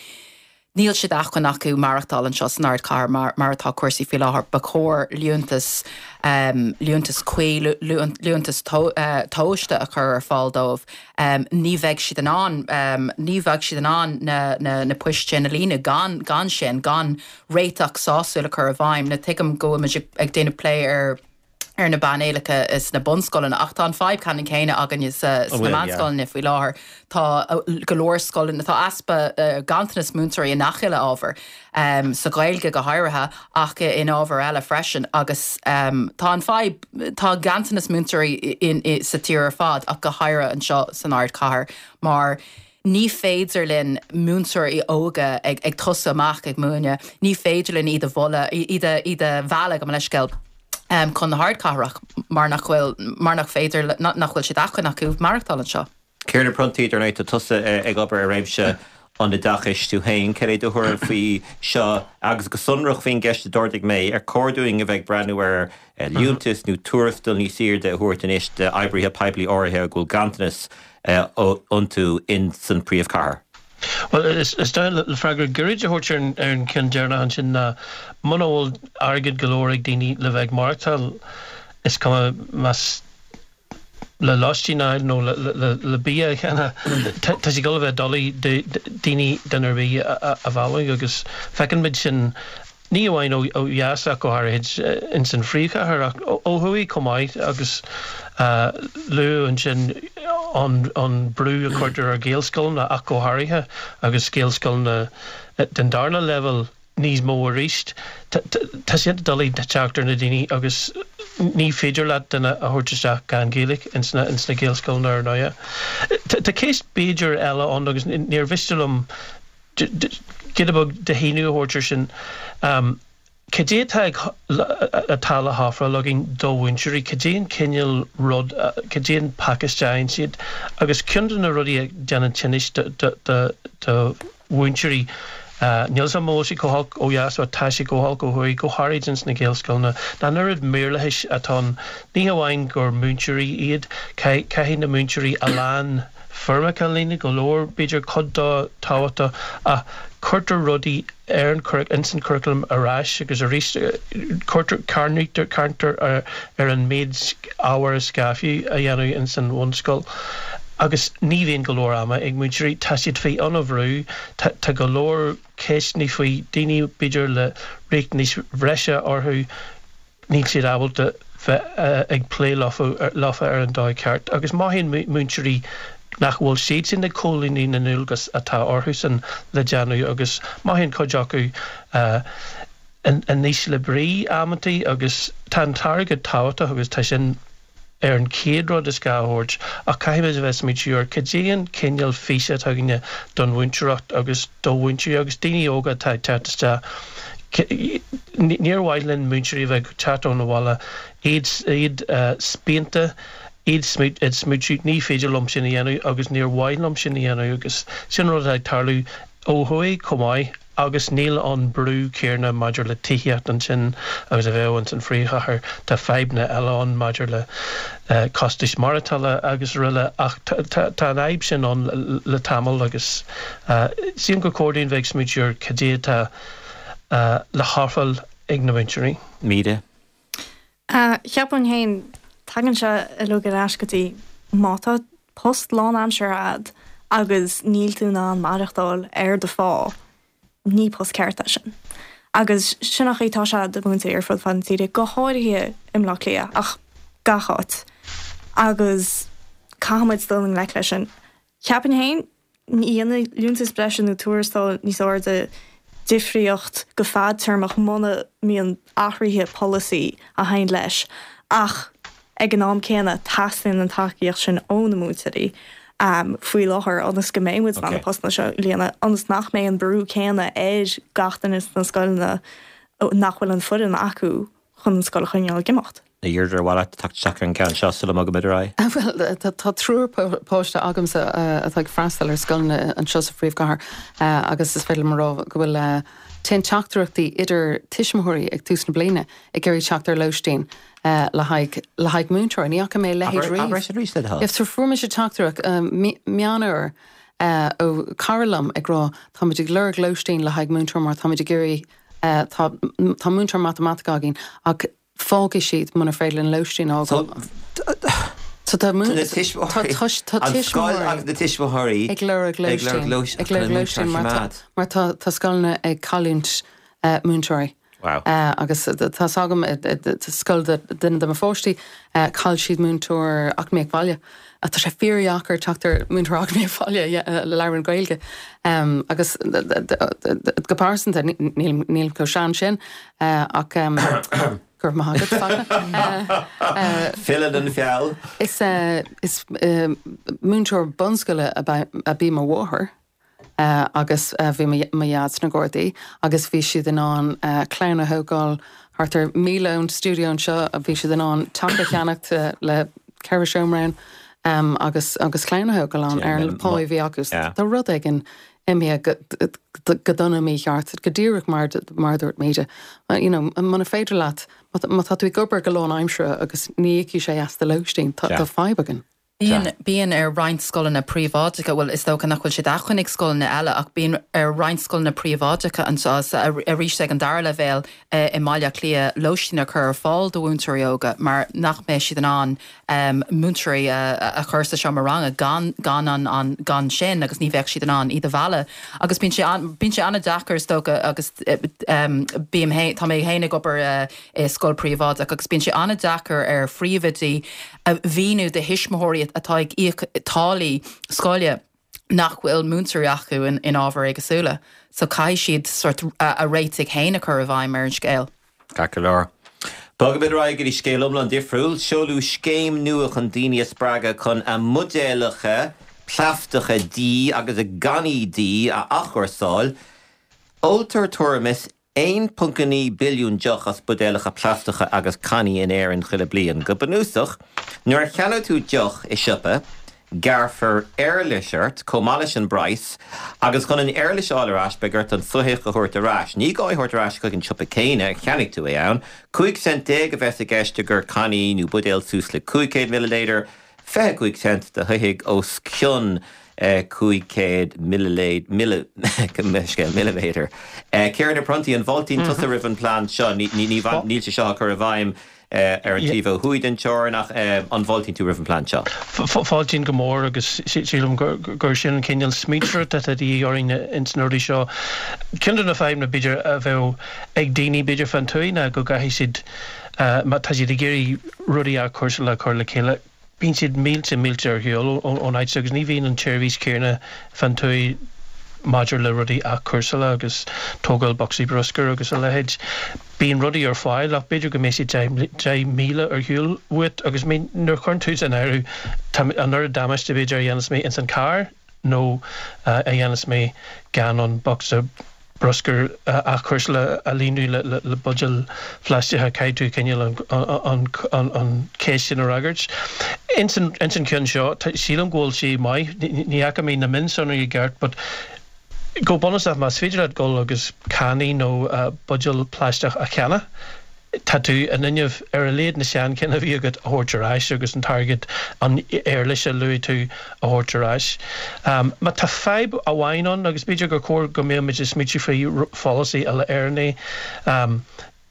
S5: Níl sé d'acmhainn acu maireachtáil anseo san ardchathair mar, mar atá cúrsaí faoi láthair. Ba chóir liúntas, um, liúntas cuí, liúntas to, uh, tomhaiste a chur ar fáil dóibh. Um, ní bheidh siad in ann, um, ní bheidh siad in ann na, na, na poist sin a líonadh gan, gan sin, gan réiteach sásúil a chur i bhfeidhm. Now tuigim go bhfuil muid ag, ag déanamh plé ar ar na painéalacha sna bunscoileanna ach tá an fadhb ceannann céanna againne sa sna meánscoileanna faoi láthair. Tá go leor scoileanna, tá easpa ganntanas múinteoirí i ngach uile ábhar, sa Ghaeilge go háirithe ach in ábhair eile freisin agus tá an fadhb, tá ganntanas múinteoirí sa tír ar fad ach go háirithe anseo san ardchathair mar ní féidir linn múinteoirí óga ag ag tosú amach ag múineadh, ní féidir linn iad a mholadh, iad a iad a mhealladh gabh mo leithscéal. chun na hardchathrach mar nach bhfuil, mar nach féidir, nach bhfuil sé d'acmhainn acu maireachtáil anseo.
S1: Ciarán Ó Pronntaigh, dar ndóigh, tá tusa ag obair i réimse an oideachais tú féin. Cad é do thuairim faoi seo agus go sonrach faoin gceist a d'ardaigh mé, ar chóir dúinn a bheith ag breathnú ar liúntas nó tuarastal níos airde a thabhairt anois d'oibrithe poiblí áirithe a bhfuil ganntanas iontu in san príomhchathair?
S3: Bhuel, is dóigh le freagra gairid a thabhairt ar an gceann deireanach ansin ná muna bhfuil airgead go leor ag daoine le bheith ag maireachtáil, is cuma más le lóistín a fháil nó le bia a cheannach, tá sé ag dul a bheith doiligh daoine, duine ar bith a mhealladh agus feiceann muid sin Ní amháin ó dheas ach go háirithe ins an phríomhchathair ach ó thuaidh chomh maith agus luadh ansin an brú a chuirtear ar Ghaelscoileanna ach go háirithe agus Gaelscoileanna den darna leibhéal níos mó arís. Tá sé doiligh teacht ar na daoine agus ní féidir leat duine a thabhairt isteach gan Gaeilge ins na Gaelscoileanna ar ndóighe. Tá ceist b'fhéidir eile ann agus níor mhiste liom giota beag de shíniú a thabhairt ar sin. Cad é atá ag, atá le hofráil againn do mhúinteoirí? Cad é an cineál rud, cad é an pacáiste a fhaigheann siad? Agus ceann de na rudaí a dhéanann tinnis do, do, do, do mhúinteoirí, níl 'fhios a'm an bhfuil sé chomh holc ó dheas ach tá sé chomh holc ó thuaidh, go háirid ins na Gaelscoileanna, ná an oiread maorlathais atá ann. Ní hamháin gur múinteoirí iad, caithfidh na múinteoirí a lán, foirmeacha a líonadh, go leor, b'fhéidir, cuid dó tábhachtach, ach cuirtear rudaí ar an churaclam, ins an churaclam ar ais agus arís, cuirtear, carnaítear, carntar ar ar an méid ábhair is gá fiú a dhéanamh ins an bhunscoil agus ní bhíonn go leor ama ag múinteoirí, tá siad faoi an-bhrú, tá tá go leor ceisteanna faoi daoine b'fhéidir le riachtanais bhreise orthu, níl siad ábalta bheith ag plé leofa ar an dóigh ceart agus mothaíonn múinteoirí nach bhfuil siadsan ag comhlíonadh na ndualgas atá orthusan le déanamh agus mothaíonn cuid acu in ísle brí amantaí agus tá an t-airgead tábhachtach agus tá sin ar an chéad rud is gá a thabhairt ach caithfimid a bheith ag smaointiú ar cad é an cineál físe atá againne don mhúinteoireacht agus do mhúinteoirí agus daoine óga atá ag teacht isteach. Níor mhaith linn múinteoirí a bheith ag teacht ón bhaile, iad iad spíonta, iad ag smaointiú ní féidir liom sin a dhéanamh agus níor mhaith liom sin a dhéanamh agus sin rud atá ag tarlú ó thuaidh chomh maith agus níl an brú céanna maidir le tithíocht ansin agus a bheadh ins an phríomhchathair. Tá fadhbanna eile ann maidir le costais maireachtála agus araile ach tá an fhadhb sin ann le tamall agus sílim gur chóir dúinn bheith ag smaointiú ar cad é atá le hofráil ag na múinteoirí.
S1: Míde.
S4: Cheapfainn féin, tagann sé uilig ar ais go dtí má tá post lánaimseartha a'd agus níl tú in ann maireachtáil ar do phá, ní post ceart é sin. Agus sin an chaoi atá sé do mhúinteoirí ar fud fad na tíre, go háirithe i mBleá Cliath, ach gach áit. Agus caithfimid dul i ngleic leis sin. Cheapfainn féin, ní dhéanfaidh liúntas breise nó tuarastal níos airde difríocht go fadtéarmach muna mbíonn athruithe polasaí a théann leis. Ach ag an am céanna, teastaíonn an tacaíocht sin ó na múinteoirí faoi láthair ionas go mbeidh muid in ann na postanna seo a líonadh, ionas nach mbeidh an brú céanna ar gach duine sna scoileanna nach bhfuil an foireann acu chun an scoil a choinneáil ag imeacht.
S1: A Dheirdre, ar mhaith leat teacht isteach ar an gceann seo sula mbogaimid ar aghaidh?
S2: Bhuel, tá triúr páiste agamsa atá ag freastal ar scoileanna anseo sa phríomhchathair agus is féidir liom a rá go bhfuil téann teachtaireachtaí idir tuismitheoirí ag tús na bliana ag iarraidh teacht ar lóistín le haghaidh le haghaidh múinteoirí. Ní fhaca mé a leithéid riamh.
S1: Abair arís le do thoil.
S2: So fuair mise teachtaireacht Meán Fhómhair ó cara liom ag rá táimid ag lorg lóistín le haghaidh múinteoir mar táimid ag iarraidh tá tá múinteoir matamaitice againn ach fágfaidh siad muna féidir linn lóistín a fháil. So tá
S1: na tuismitheoirí, an scoil agus na tuismitheoirí
S2: ag lorg lóistín, ag lorg lóistín mar tá tá scoileanna ag cailliúint múinteoirí.
S1: Wow.
S2: Agus tá 's agam scoil de duine de mo pháistí, chaill siad múinteoir eacnamaíocht bhaile. Tá sé fíordheacair teacht ar múinteoir eacnamaíocht bhaile a labhrann Gaeilge. Agus go pearsanta, nílim nílim chomh sean sin ach go raibh maith agat, Fachtna.
S1: Filleann an feall.
S2: Is is múinteoir bunscoile ab í mo mháthair agus bhí mo dhaid sna Gardaí agus bhí siad in ann clann a thógáil thart ar míle ón stiúideo anseo, bhí siad in ann teach a cheannacht le ceithre seomra ann agus agus clann a thógáil ann ar an pá a bhí acu. Tá rud éigin imithe go dona mícheart, go díreach mar mar a dúirt Míde. You know, muna féidir leat, má tá tú ag obair go lánaimseartha agus ní íocfaidh sé as do lóistín, tá fadhb againn.
S5: Bíonn, bíonn ar roinnt scoileanna príobháideacha, bhuel is dócha nach bhfuil sé d'acmhainn ag scoileanna eile ach bíonn ar roinnt scoileanna príobháideacha anseo arís ag an dara leibhéal i mBaile Átha Cliath lóistín a chur ar fáil do mhúinteoirí óga mar nach mbeidh siad in ann múinteoirí a chur sa seomra ranga gan gan an an gan sin agus ní bheadh siad in ann iad a mhealladh agus bíonn sé an bíonn sé an-deacair is dócha agus bím tá mé féin ag obair i scoil príobháideach agus bíonn sé an-deacair ar phríomhoidí a mhíniú do thuismitheoirí atá ag íoc táillí scoile nach bhfuil múinteoirí acu in, in ábhair éagsúla. So caithfidh siad sort a, a réitigh féin a chur i bhfeidhm ar an scéal.
S1: Ceart go leor. Bogaimid ar aghaidh go dtí scéal iomlán difriúil. Seoladh scéim nua chun daoine a spreagadh chun a mbuidéalacha plaisteacha dí agus a gcannaí dí a athchúrsáil. Óltar tuairim is aon ponc a naoi billiún deoch as buidéalacha plaisteacha agus cannaí in Éirinn chuile bliain. Go bunúsach, nuair a cheannóidh tú deoch i siopa, gearrfar éarlais ort chomh maith leis an bpraghas, agus chun an éarlais a fháil ar ais beidh ort an soitheach a thabhairt ar ais. Ní gá é a thabhairt ar ais chuig an siopa céanna ar cheannaigh tú é ann. Cúig cent déag a bheas i gceist i gcomhair cannaí nó buidéal suas le cúig chéad milliléadar, fiche cúig cent do shoithigh os cionn cúig chéad milliméadar. Ciarán Ó Pronntaigh, an bhfáiltíonn tusa roimh an bplean seo? Níl sé seo á chur i bhfeidhm ar an taobh ó thuaidh den teorainn ach an bhfáiltíonn tú roimh an bplean seo?
S3: Fáiltím go mór agus sílim gur sin an cineál smaointeoireachta atá de dhíth orainn ins na rudaí seo. Ceann de na fadhbanna b'fhéidir a bheadh ag daoine b'fhéidir fán tuaith ná go gcaithfidh siad má tá siad ag iarraidh rudaí athchúrsála a chur le chéile, bíonn siad mílte mílte ar shiúl ón áit agus ní bhíonn an tseirbhís chéanna fán tuaith maidir le rudaí athchúrsála agus tógáil bocsaí bruscair agus a leithéid. Bíonn rudaí ar fáil ach b'fhéidir go mbeidh siad deich míle ar shiúl uait agus nuair a chuireann tú san áireamh tá an oiread damáiste b'fhéidir a dhéanas mé ins an carr nó a dhéanas mé gan an bocsa bruscair athchúrsála a líonadh le le buidéil phlaisteacha caithfidh tú cineál an an an cheist sin a fhreagairt. Ins an ins an ceann seo sílim go bhfuil sé maith ní fhaca mé na mionsonraí i gceart but Go bunúsach, más féidir leat dul agus cannaí nó buidéal plaisteach a cheannach, tá tú in innimh ar a laghad na seanchinn a bhí agat a thabhairt ar ais agus an t-airgead, an éarlais a luaigh tú, a thabhairt ar ais. Má tá fadhb amháin ann, agus b'fhéidir gur chóir go mbeadh muid ag smaoitiú faoi pholasaí uile-Éireann é,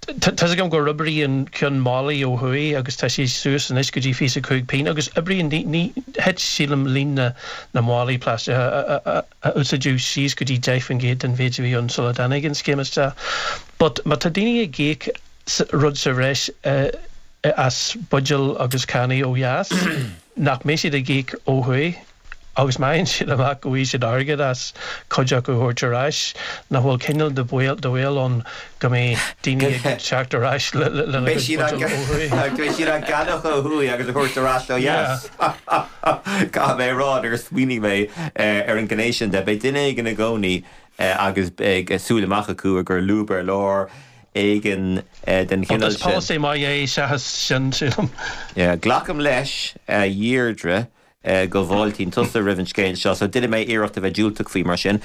S3: Tá's agam gur oibrigh an ceann málaí ó thuaidh agus tá sé suas anois go dtí fiche cúig pingin agus oibríonn, ní, ní, thit sílim líon na, na málaí plaisteacha a, a, a úsáideadh síos go dtí deich faoin gcéad den mhéid a bhí ann sula dtáinig an scéim isteach. But má tá daoine ag íoc rud sa bhreis as buidéil agus cannaí ó dheas, nach mbeidh siad ag íoc ó thuaidh? Agus má fhaigheann siad amach go bhfaighidh siad airgead as cuid acu a thabhairt ar ais, nach bhfuil cineál de bhaol ann go mbeidh daoine ag teacht ar ais lena gcuid buidéal ó thuaidh?
S1: Beidh siad á gceannach ó thuaidh agus a thabhairt ar ais ó dheas. Caithfidh mé a rá, nuair a smaoinigh mé ar an ghné sin de, beidh duine éigin i gcónaí agus beidh súil amach acu ag cur lúb ar lár éigin den chineál
S3: sin. Is polasaí maith é seachas sin, sílim.
S1: Glacaim leis, a Dheirdre, go bhfáiltíonn tusa roimh an scéal seo, so déanfaidh mé iarracht a bheith diúltach faoi mar sin.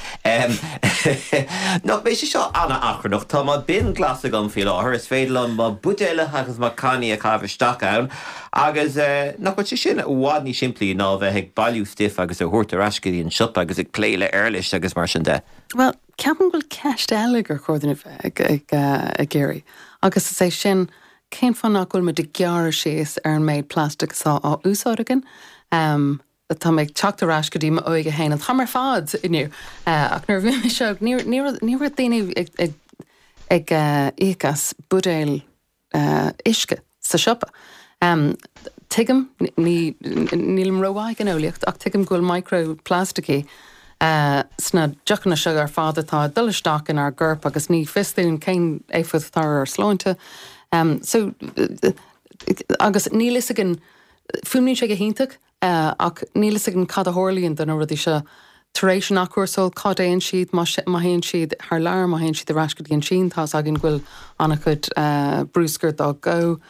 S1: Nach mbeidh sé seo an-achrannach? Tá mo bin glas agam faoi láthair, is féidir liom mo bhuidéalacha agus mo cannaí a chaitheamh isteach ann agus nach bhfuil sé sin i bhfad níos simplí ná a bheith ag bailiú stuif agus a thabhairt ar ais go dtí an siopa agus ag plé le éarlais agus mar sin de?
S2: Bhuel, ceapaim go bhfuil ceist eile gur chóir dúinn a bheith ag iarraidh agus is é sin, Cén fáth nach bhfuil muid ag gearradh síos ar an méid plastic atá á úsáid againn? Tá mé ag teacht ar ais go dtí m'óige féin, an t-am ar fad inniu, ach nuair a bhí mise óg ní ní raibh daoine ag ag íoc as buidéal uisce sa siopa. Tuigim, ní nílim rómhaith ag an eolaíocht, ach tuigim go bhfuil microplasticí sna deochanna seo ar fad atá ag dul isteach inár gcorp agus ní fios dúinn cén éifeacht atá ar ár sláinte. So, agus níl fhios againn, fuaimníonn sé go hiontach, ach níl fhios againn cad a tharlaíonn do na rudaí seo tar éis an athchúrsáil, cá dtéann siad, má théann siad thar lear, má théann siad ar ais go dtí an tSín, tá fhios againn go bhfuil an-chuid bruscair dá dhó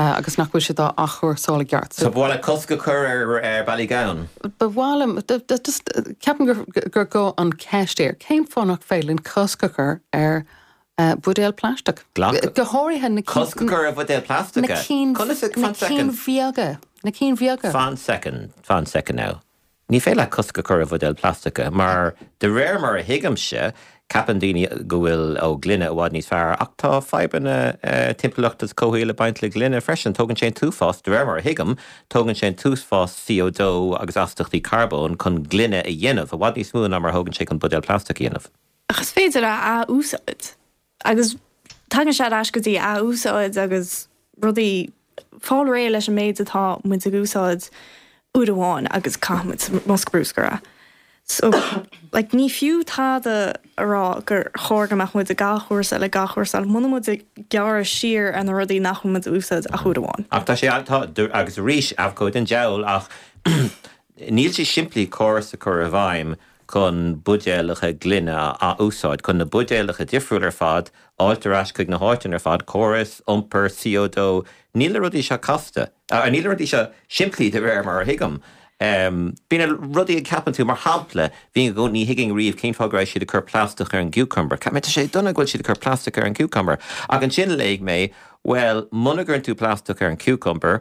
S2: agus nach bhfuil siad á athchúrsáil i gceart.
S1: So ba mhaith leat cosc a chur ar Ballygowan?
S2: Ba mhaith liom, just ceapaim gur gá an cheist air, cén fáth nach féidir linn cosc a chur ar buidéal plaisteach. Go háirithe na
S1: Cosc a chur ar bhuidéil plaisteacha?
S2: Na cinn na cinn bheaga. Na cinn bheaga.
S1: Fan soicind, fan soicind now. Ní féidir leat cosc a chur ar bhuidéil plaisteacha mar de réir mar a thuigimse, ceapann daoine go bhfuil ó gloine i bhfad níos fearr ach tá fadhbanna timpeallachta is comhshaoil ag baint le gloine freisin. Tógann sé an t-uafás, de réir mar a thuigim, tógann sé an t-uafás C O dó agus astachtaí carbóin chun gloine a dhéanamh, i bhfad níos mó ná mar a thógann sé chun buidéal plaisteach a dhéanamh.
S4: Ach is féidir a ath-úsáid. Agus tagann sé ar ais go dtí ath-úsáid agus rudaí, fáil réidh leis an méid atá muid ag úsáid uair amháin agus caithfidh muid sa mbosca bruscair é. So, like, ní fiú tada a rá gur chóir go mbeadh muid ag athchúrsáil, ag athchúrsáil, muna muid ag gearradh siar ar na rudaí nach bhfuil muid a úsáid ach uair amháin.
S1: Ach tá sé, tá, agus arís, abhcóide an diabhal, ach níl sé simplí córas a chur i bhfeidhm chun buidéalacha gloine a ath-úsáid, chun na buidéalacha difriúil ar fad a fháilt ar ais chuig na háiteanna ar fad, córas iompair C O dó, níl na rudaí seo casta, níl na rudaí seo simplí de réir mar a thuigim. Bíonn na rudaí a cheapann tú, mar shampla, bhí i gcónaí, ní thuigfinn riamh cén fáth go raibh siad ag cur plaisteach ar an gcucumber, cheap mé tá sé dona go bhfuil siad ag cur plaisteach ar an gcucumber, ach ansin léigh mé, Bhuel, muna gcuireann tú plaisteach ar an cucumber,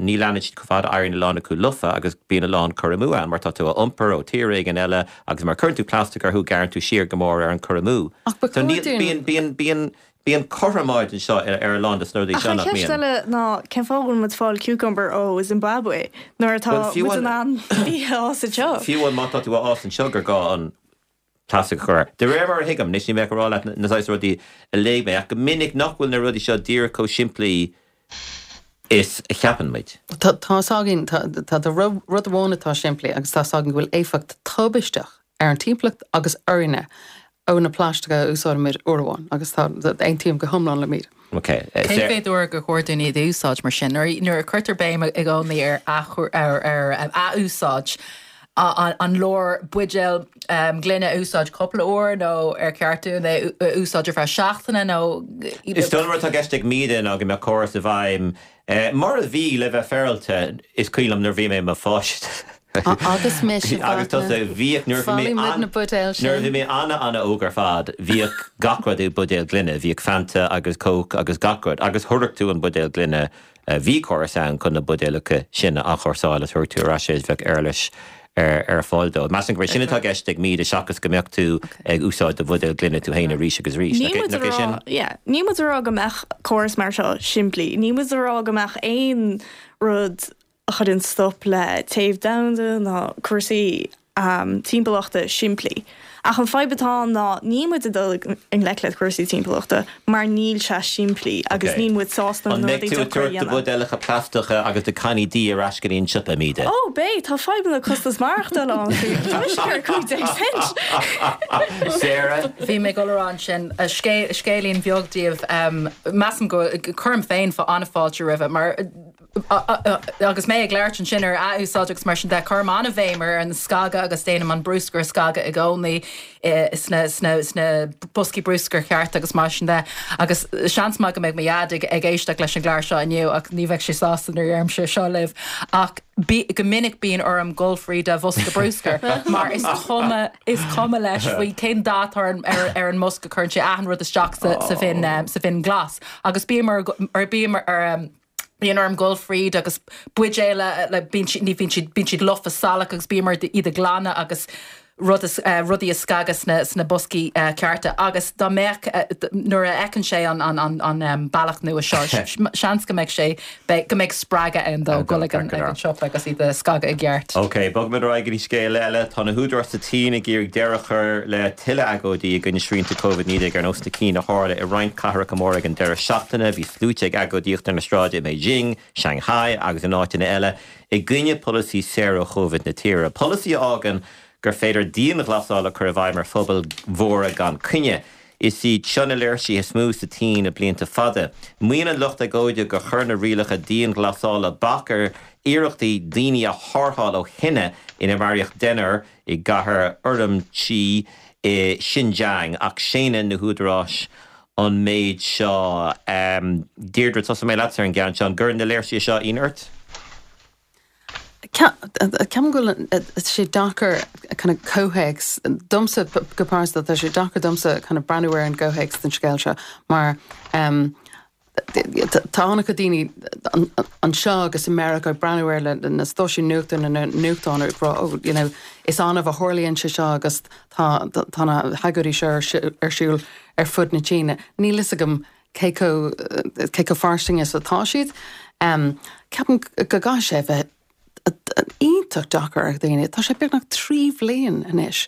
S1: ní leanann siad chomh fada, éiríonn a lán acu lofa agus bíonn a lán cur amú ann mar tá tú á iompar ó tír éigin eile agus mar cuireann tú plaisteach orthu gearrann tú siar go mór ar an cur amú.
S2: Ach ba
S1: So
S2: chóir
S1: níl,
S2: dúinn.
S1: bíonn, bíonn, bíonn, bíonn cothromáid anseo ar a lán de na rudaí
S4: Ach
S1: seo
S4: an
S1: nach
S4: cheist
S1: mbíonn.
S4: eile ná cén fáth a bhfuil muid ag fáil cucumber ó Zimbabwe nuair atá
S1: Bhuel, fiú
S4: muid in
S1: an,
S4: ann bia a fhás anseo?
S1: fiú an má tá tú á fhás anseo gur gá an plaisteach a chur air. De réir mar a thuigim, anois níl mé ach ag rá leat na saghas rudaí a léigh mé, ach go minic nach bhfuil na rudaí seo díreach chomh simplí is a cheapann muid.
S2: Tá tá 's againn, tá tá tá rud amháin atá simplí agus tá 's againn go bhfuil éifeacht tubaisteach ar an timpeallacht agus orainne ó na plaisteacha a úsáidimid uair amháin agus tá aontaím go hiomlán le Míde.
S1: Okay.
S5: Cé mhéad uair gur chóir dúinn iad a úsáid mar sin? Nuair a cuirtear béim i gcónaí ar ar athúsáid, an leor buidéal gloine a úsáid cúpla uair nó ar cheart dúinn é a úsáid ar feadh seachtaine nó.
S1: Is dóigh liom rud atá i gceist ag Míde ná go mbeadh córas i bhfeidhm mar a bhí le bheith féaráilte, is cuimhin liom nuair a bhí mé i mo pháiste.
S2: Agus mise,
S1: Agus tusa, bhíodh nuair a bhí mé
S2: Bhailigh muid na buidéil sin.
S1: Nuair a bhí mé ana-ana-óg ar fad, bhíodh gach rud i buidéal gloine, bhíodh Fanta agus Coke agus gach rud, agus thabharfadh tú an buidéal gloine, bhí córas ann chun na buidéalacha sin a athchúrsáil agus thabharfadh tú ar ais é is bheadh uirlis ar fáil dó. Measaim gurb é sin atá i gceist ag Míde seachas go mbeadh tú ag úsáid do bhuidéal gloine tú féin arís agus arís.
S4: Níl muid
S1: Nach
S4: a
S1: é sin?
S4: rá, yeah, níl muid a rá go mbeadh córas mar seo simplí. Níl muid a rá go mbeadh aon rud a chuireann stop le téamh domhanda ná cúrsaí um, timpeallachta simplí. Ach an fadhb atá ann ná níl muid ag dul i ngleic le cúrsaí timpeallachta mar níl sé simplí agus
S1: Okay.
S4: níl muid sásta
S1: An
S4: na
S1: mbeidh
S4: rudaí
S1: tú ag
S4: deacra a
S1: tabhairt do
S4: dhéanamh.
S1: bhuidéalacha plaisteacha agus do cannaí dí ar ais go dtí an siopa, Míde?
S4: Ó, beidh, tá fadhbanna costas maireachtála ann faoi. Tá mise ar cúig déag cent.
S1: Sarah?
S5: Bhí mé ag dul a rá ansin scéilín bheag daoibh measaim go cuirim féin fá an-fháilte roimhe mar agus mé ag labhairt ansin ar athúsáid agus mar sin de cuirim an-bhéim ar an scagadh agus déanaim an bruscar a scagadh i gcónaí sna sna sna boscaí bruscair ceart agus mar sin de agus seans maith go mbeidh mo dhaid ag ag éisteacht leis an gclár seo inniu ach ní bheidh sé sásta nuair a deirimse seo libh ach bí, go minic bíonn orm dul fríd a bhosca bruscair mar is cuma is cuma leis faoi cén dath ar an ar, ar an mbosca cuireann sé achan rud isteach sa, sa bhin um, sa bhin glas agus bím ar ar bím ar um, Bíonn orm dul fríd agus buidéil le bíonn siad ní bhíonn siad bíonn siad lofa salach agus bím ar iad a ghlanadh agus rud is, uh, rudaí a scagadh sna, sna boscaí uh, cearta agus dá mbeadh uh, nuair a fheiceann sé an, an, an, an um, bealach nua seo seans go mbeidh sé go mbeidh spreagadh ann dó dul ag an, ag an siopa agus iad a scagadh i gceart.
S1: Ok, bogfaimid ar aghaidh go dtí scéal eile tá na húdaráis sa tSín ag iarraidh deireadh a chur le tuilleadh agóidí i gcoinne srianta Covid naoi déag ar nós na cinn a tharla i roinnt cathracha móra ag an deireadh seachtaine, bhí sluaite ag agóidíocht ar na sráideanna i Beijing, Shanghai agus in áiteanna eile i gcoinne polasaí saor ó Covid na tíre. Polasaí a fhágann gur féidir dianghlasáil a chur i bhfeidhm ar phobail mhóra gan choinne. Is iad seo na léirsithe is mó sa tSín le blianta fada. Maíonn an lucht agóide gur chuir na rialacha dianghlasála bac ar iarrachtaí daoine a tharrtháil ó thine inar maraíodh deichniúr i gcathair Urumqi i Xinjiang ach séanann na húdaráis an méid seo. Um, Deirdre tosóidh mé leat ar an gceann seo an gcuireann na léirsithe seo ionadh ort?
S2: Ceapaim go bhfuil sé deacair kind of comhthéacs domsa go pearsanta tá sé deacair domsa kind of breathnú ar an gcomhthéacs den scéal seo mar um, tá an-chuid daoine anseo agus i Meiriceá ag breathnú ar le na stáisiúin nuachta na nuachtáin ag rá oh, you know, is annamh a tharlaíonn sé seo agus tá tá na hagóidí seo ar siúl ar fud na Síne. Níl fhios agam cé chomh cé chomh fairsing is atá siad. Um, Ceapaim go gcaithfidh sé bheith iontach deacair ar dhaoine. Tá sé beagnach trí bhliain anois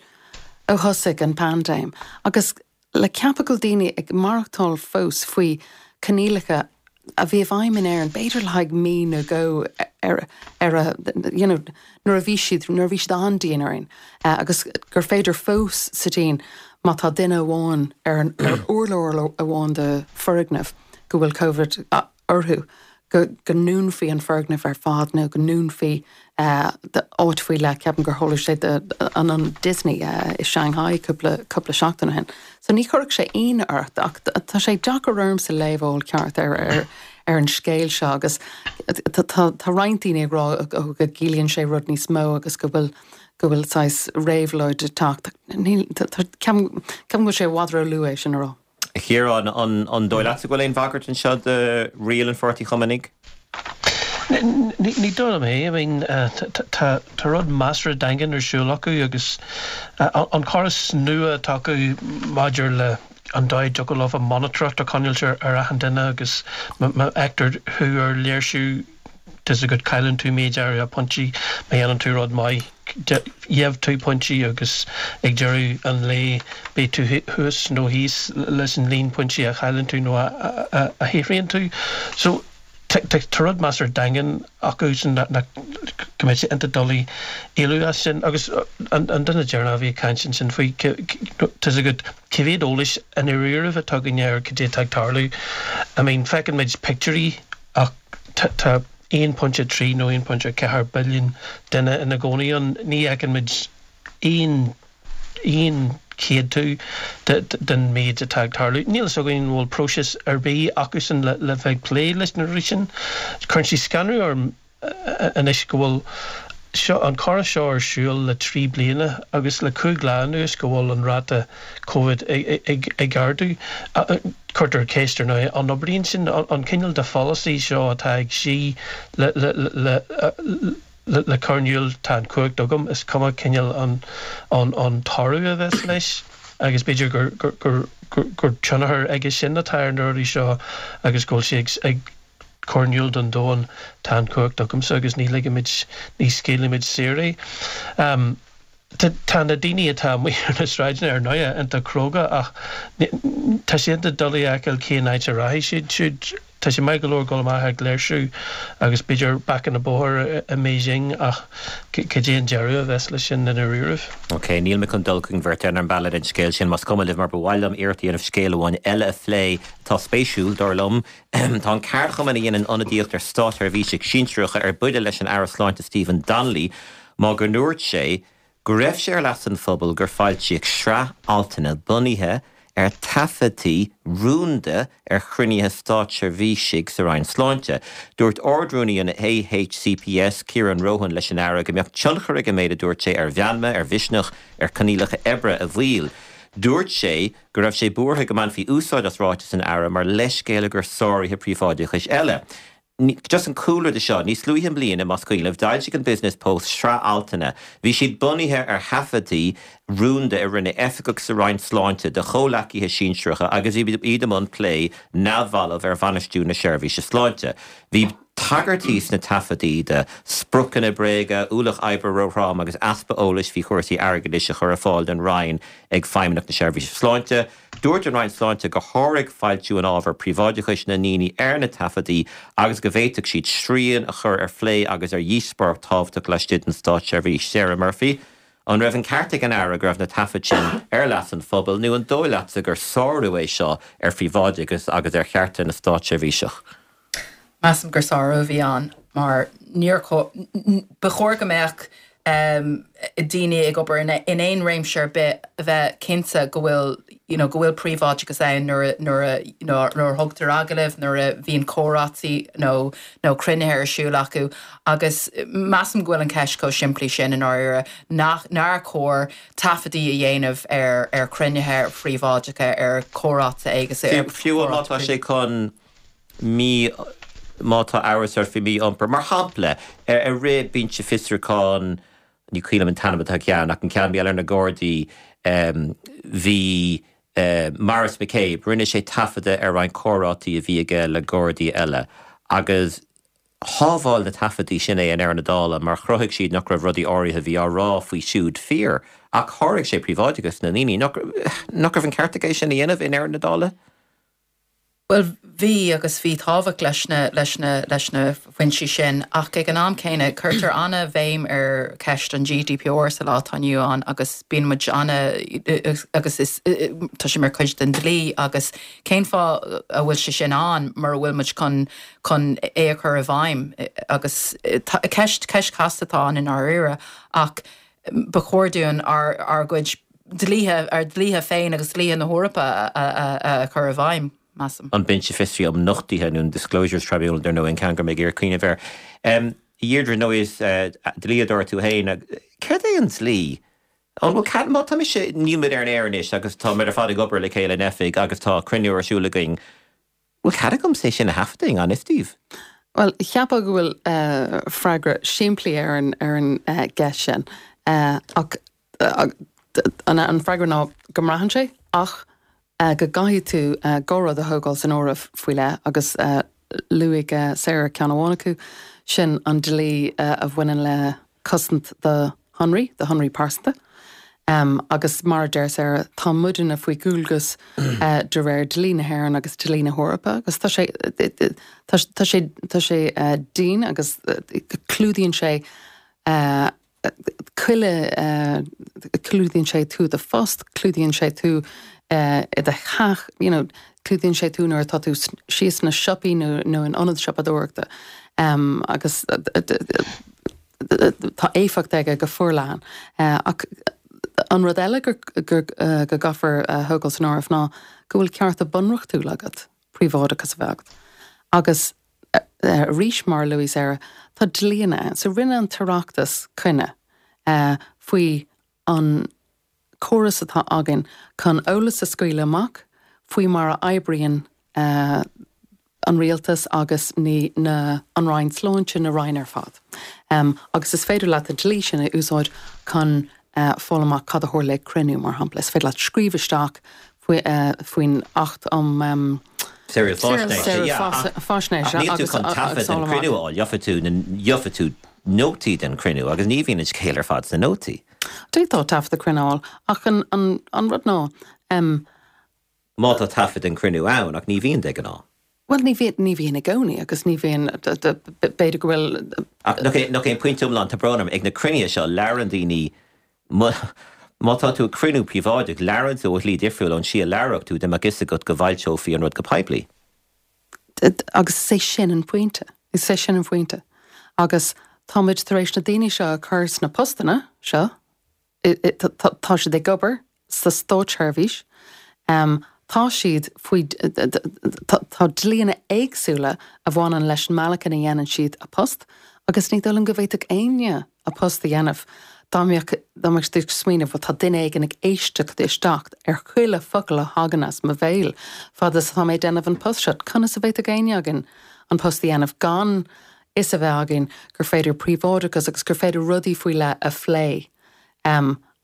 S2: ó thosaigh an paindéim. Agus le ceapadh go bhfuil daoine ag maireachtáil fós faoi choinníollacha a bhí i bhfeidhm in Éirinn, b'fhéidir le haghaidh mí nó dhó ar ar a you know, nuair a bhí siad nuair a bhí siad an-dian orainn. Uh, agus gur féidir fós sa tSín má tá duine amháin ar an ar urlár amháin de foirgneamh go bhfuil COVID orthu. go go ndúnfaí an foirgneamh ar fad nó go ndúnfaí áit faoi leith ceapaim gur tharla sé an an Disney uh, i Shanghai cúpla cúpla seachtain ó shin. So ní chuirfeadh sé ionadh ort ach tá sé deacair ormsa léamh ceart ar ar ar an scéal seo agus tá roinnt daoine ag rá go gciallaíonn sé rud níos mó agus go bhfuil go bhfuil saghas réabhlóid ag teacht. Ceapaim go bhfuil sé i bhfad róluath é sin a rá.
S1: Ciarán an an dóigh leat go bhfuil aon bhagairt anseo do riail an Pháirtí Chumannaigh?
S3: Ní dóigh liom é, I mean tá tá rud measartha daingean ar siúl acu agus an córas nua atá acu maidir le an dóigh a dtiocfadh leo monatóireacht a choinneáil ar achan duine agus má fheictear thú ar léirsiú tá a fhios agat cailleann tú méid áirithe pointí má dhéanann tú rud maith gheobhaidh tú pointí agus ag deireadh an lae beidh tú thuas nó thíos leis an líon pointí a chailleann tú nó a a shaothraíonn tú. So Tá rud measartha daingean acu sin nach go mbeidh sé iontach doiligh éalú as sin agus an duine deireanach a bhí ag caint ansin faoi tá's agat cé mhéad eolais i ndáiríribh atá againn ar cad é atá ag tarlú. I mean feiceann muid pictiúirí ach tá aon pointe trí nó aon pointe ceathair billiún duine ina gcónaí ann, ní fheiceann muid aon aon chéadú den méid atá ag tarlú. Níl fhios againn an bhfuil próiseas ar bith acusan le bheith ag plé leis na rudaí sin. Cuireann sé scanradh orm anois go bhfuil seo, an córas seo ar siúl le trí bliana agus le cúig lá anuas go bhfuil an ráta Covid ag ardú. Cuirtear ceist ar ndóigh, an oibríonn sin, an cineál de pholasaí seo atá ag Xi le le le cur in iúl tá an chumhacht agam, is cuma cineál an an toradh a bheas leis agus b'fhéidir gur gur gur tionchar aige sin atá ar na rudaí seo agus go bhfuil sé ag cur in iúl don domhan tá an chumhacht agamsa agus ní ligfimid, ní scaoilfimid saor é. Tá na daoine atá amuigh ar na sráideanna ar ndóigh iontach cróga ach tá sé iontach doiligh a fheiceáil cén áit a rachaidh siad siúd. Tá sé maith go leor dul amach ag léirsiú agus b'fhéidir bacanna bóthair i mBeijing ach cad é an deireadh a bheas leis sin i ndáiríribh?
S1: Ok, níl mé chun dul chuig an bheirt ar an mbealach den scéal sin, más cuma libh, mar ba mhaith liom iarracht a dhéanamh scéal amháin eile a phlé atá spéisiúil, dar liom. Tá an ceardchumann a dhéanann ionadaíocht ar státseirbhísigh sinsearacha ar buile leis an Aire Sláinte Stephen Donnelly mar go ndúirt sé go raibh sé ar leas an phobail gur foilsíodh sraith altanna bunaithe ar taifeadtaí rúnda ar chruinnithe státseirbhísigh sa Roinn Sláinte. Dúirt Ard-Rúnaí an AHCPS, Ciaran Rohan leis an Aire go mbeadh tionchar ag an méid a dúirt sé ar mheanma, ar mhisneach, ar choinníollacha oibre a bhaill. Dúirt sé go raibh sé buartha go mbainfí úsáid as ráiteas an Aire mar leithscéal i gcomhair sáruithe príobháideachais eile. Just an cúlra de seo, níos luaithe i mbliana, más cuimhin libh, d'fhoilsigh an Business Post sraith altanna. Bhí siad bunaithe ar thaifeadtaí rúnda a rinne oifigigh sa Roinn Sláinte de chomhleacaithe sinsearacha agus iad i mbun plé neamhbhalbh ar bhainistiú na seirbhíse sláinte. Bhí tagairtí sna taifeadtaí do spriocanna bréige, ualach oibre róthrom agus easpa eolais faoi chúrsaí airgeadais a chur ar fáil don Roinn ag Feidhmeannacht na Seirbhíse Sláinte. Dúirt an Roinn Sláinte gur sháraigh foilsiú an ábhair príobháideachais na ndaoine ar na taifeadtaí agus go bhféadfadh siad srian a chur ar phlé agus ar dhíospóireacht thábhachtach laistigh den státseirbhís. Sarah Murphy, An raibh an ceart ag an Aire go raibh na taifid sin ar leas an phobail nó an dóigh leatsa gur sárú é seo ar phríobháideachas agus ar chearta na státseirbhíseach?
S5: Measaim gur sárú a bhí ann mar níor ba chóir go mbeadh daoine ag obair in aon réimse ar bith a bheith cinnte go bhfuil you know go bhfuil príobháideachas ann nuair nuair a you know nuair a thugtar agallamh, nuair a bhíonn comhráití nó nó cruinnithe ar siúl acu agus measaim go bhfuil an ceist chomh simplí sin i ndáiríre nach nár chóir taifeadtaí a dhéanamh ar ar chruinnithe phríobháideacha ar chomhráite agus ar
S1: Fiú má tá sé chun mí má tá amhras ort faoi mhí-iompar, mar shampla, ar rith binse fiosrúcháin, ní cuimhin liom an t-ainm atá ceann, ach an ceann a bhí ar na Gardaí, bhí Maurice McCabe, rinne sé taifeadadh ar roinnt comhráití a bhí aige le Gardaí eile agus shábháil na taifeadtaí sin é i ndeireadh na dála mar chruthaigh siad nach raibh rudaí áirithe a bhí á rá faoi siúd fíor. Ach sháraigh sé príobháideachas na ndaoine. Nach raibh an ceart aige é sin a dhéanamh i ndeireadh na dála?
S5: Bhuel, bhí agus bhí tábhacht leis na, leis na, leis na foinsí sin ach ag an am céanna cuirtear an-bhéim ar cheist an GDPR sa lá atá inniu ann agus bíonn muid ana agus is tá sé mar chuid den dlí agus cén fáth a bhfuil sé sin ann mura bhfuil muid chun chun é a chur i bhfeidhm agus ceist ceist chasta atá ann i ndáiríre ach ba chóir dúinn ár ár gcuid dlíthe, ár dlíthe féin agus dlíthe na hEorpa a chur i bhfeidhm, measaim.
S1: An Binse Fiosraithe um Nochtuithe nó an Disclosures Tribunal, dar ndóigh, an ceann gur mé ag iarraidh cuimhneamh air. A Dheirdre, nó is dlíodóir tú féin, céard é an dlí? An bhfuil cead, má tá mise, níl muid ar an aer anois agus tá muid ar fad ag obair le chéile in oifig agus tá cruinniú ar siúl againn, Bhfuil cead agamsa é sin a thaifeadadh i ngan fhios daoibh?
S2: Bhuel, cheapfá go bhfuil freagra simplí ar an ar an gceist sin ach an freagra ná go mbraitheann sé ach go gcaithfidh tú dhá rud a thógáil san áireamh faoi leith agus luaigh Sarah ceann amháin acu, sin an dlí a bhaineann le cosaint do shonraí, do shonraí pearsanta. Agus mar a deir Sarah, tá muidne faoi dhualgas de réir dlí na hÉireann agus dlí na hEorpa agus tá sé tá sé tá sé dian agus clúdaíonn sé chuile clúdaíonn sé tú i do phost, clúdaíonn sé tú i do theach, you know, clúdaíonn sé tú nuair atá tú síos sna siopaí nó nó in ionad siopadóireachta agus tá éifeacht aige go forleathan. Ach an rud eile gur go gcaithfear a thógáil san áireamh ná go bhfuil cearta bunreachtúla agat príobháideachas a bheith agat. Agus arís mar a luaigh Sarah, tá dlíonna ann. So rinne an tOireachtas coinne faoi an córas atá againn chun eolas a scaoileadh amach faoi mar a oibríonn an rialtas agus na an Roinn Sláinte, na Roinn ar fad. Agus is féidir leat an dlí sin a úsáid chun fáil amach cad a tharla ag cruinniú, mar shampla. Is féidir leat scríobh isteach faoin Acht um.
S1: Saoráil Faisnéise. Ach níl tú chun taifead den chruinniú a fháil, gheobhaidh tú gheobhaidh tú nótaí den chruinniú agus ní bhíonn an scéal ar fad sna nótaí.
S2: D'fhéadfá taifead cruinniú a fháil ach an rud ná.
S1: Má tá taifead den chruinniú ann, ach ní bhíonn de ghnáth.
S2: Bhuel, ní bhíonn, ní bhíonn i gcónaí agus ní bhíonn, b'fhéidir go bhfuil.
S1: Ach nach é, nach é an pointe iomlán, tá brón orm, ag na cruinnithe seo labhrann daoine, má, má tá tú ag cruinniú príobháideach, labhrann tú ó shlí difriúil ón tslí a labhródh tú dá mbeadh fhios agat go bhfoilseofaí an rud go poiblí.
S2: Agus is é sin an pointe, is é sin an pointe. Agus táimid tar éis na daoine seo a chur sna postanna seo, tá siad ag obair sa státseirbhís, tá siad faoi, tá dlíonna éagsúla a bhaineann leis an mbealach ina dhéanann siad a post agus ní dóigh liom go bhféadfadh éinne a post a dhéanamh dá mbeadh, dá mbeadh siad ag smaoineamh bhuel tá duine éigin ag éisteacht isteach ar chuile focal a thagann as mo bhéal fad is atá mé ag déanamh an post seo. Conas a bhféadfadh éinne againn an post a dhéanamh gan fhios a bheith againn gur féidir príobháideachas agus gur féidir rudaí faoi leith a phlé.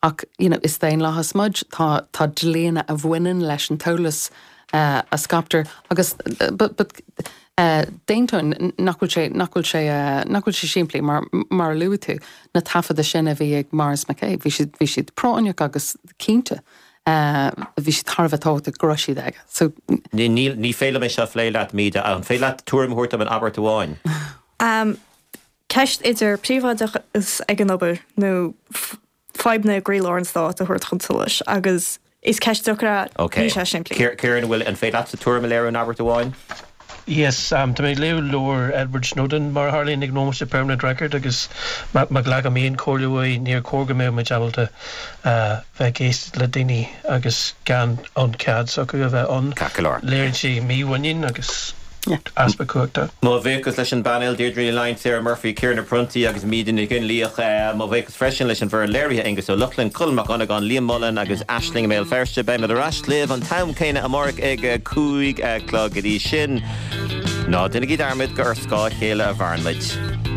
S2: Ach you know is daonlathas muid, tá tá dlíonna a bhaineann leis an t-eolas a scaiptear agus but but d'aontóinn nach bhfuil sé nach bhfuil sé nach bhfuil sé simplí mar mar a luaigh tú na taifeadta sin a bhí ag Maurice McCabe bhí siad bhí siad práinneach agus cinnte bhí siad thar a bheith tábhachtach go raibh siad aige. So.
S1: Ní ní féidir liom é seo a phlé leat Míde, an féidir leat tuairim a thabhairt dom in abairt amháin?
S4: Ceist idir príobháideachas ag an obair nó fadhbanna i gcroílár an stáit a thabhairt chun solais agus is ceist deacair é,
S1: Ok.
S4: níl sé simplí.
S1: Ciarán, an bhfuil, an féidir leatsa tuairim a léiriú in abairt amháin?
S3: Yes, tá mé ag léamh leabhar Edward Snowden mar a tharlaíonn ag an nóiméad seo Permanent Record agus má ghlacaim aon chomhairle uaidh níor chóir go mbeadh muid ábalta bheith ag éisteacht le daoine agus gan an cead s'acu a bheith ann.
S1: Ceart go leor.
S3: Léiríonn sé mímhuinín agus. Easpa cumhachta.
S1: Mo bhuíochas leis an bpainéal, Deirdre Ní Fhloinn, Sarah Murphy, Ciarán Ó Pronntaigh agus Míde Nic Fhionnlaoich. Mo bhuíochas freisin leis an bhfoireann léirithe, Aengus Ó Lochlainn, Colm Mac Dhonnagáin, Liam Mullen agus Aisling i mBéal Feirste. Beimid ar ais libh an t-am céanna amárach ag a cúig a chlog. Go dtí sin, ná déanaigí dearmad gur ar scáth a chéile a mhaireann muid.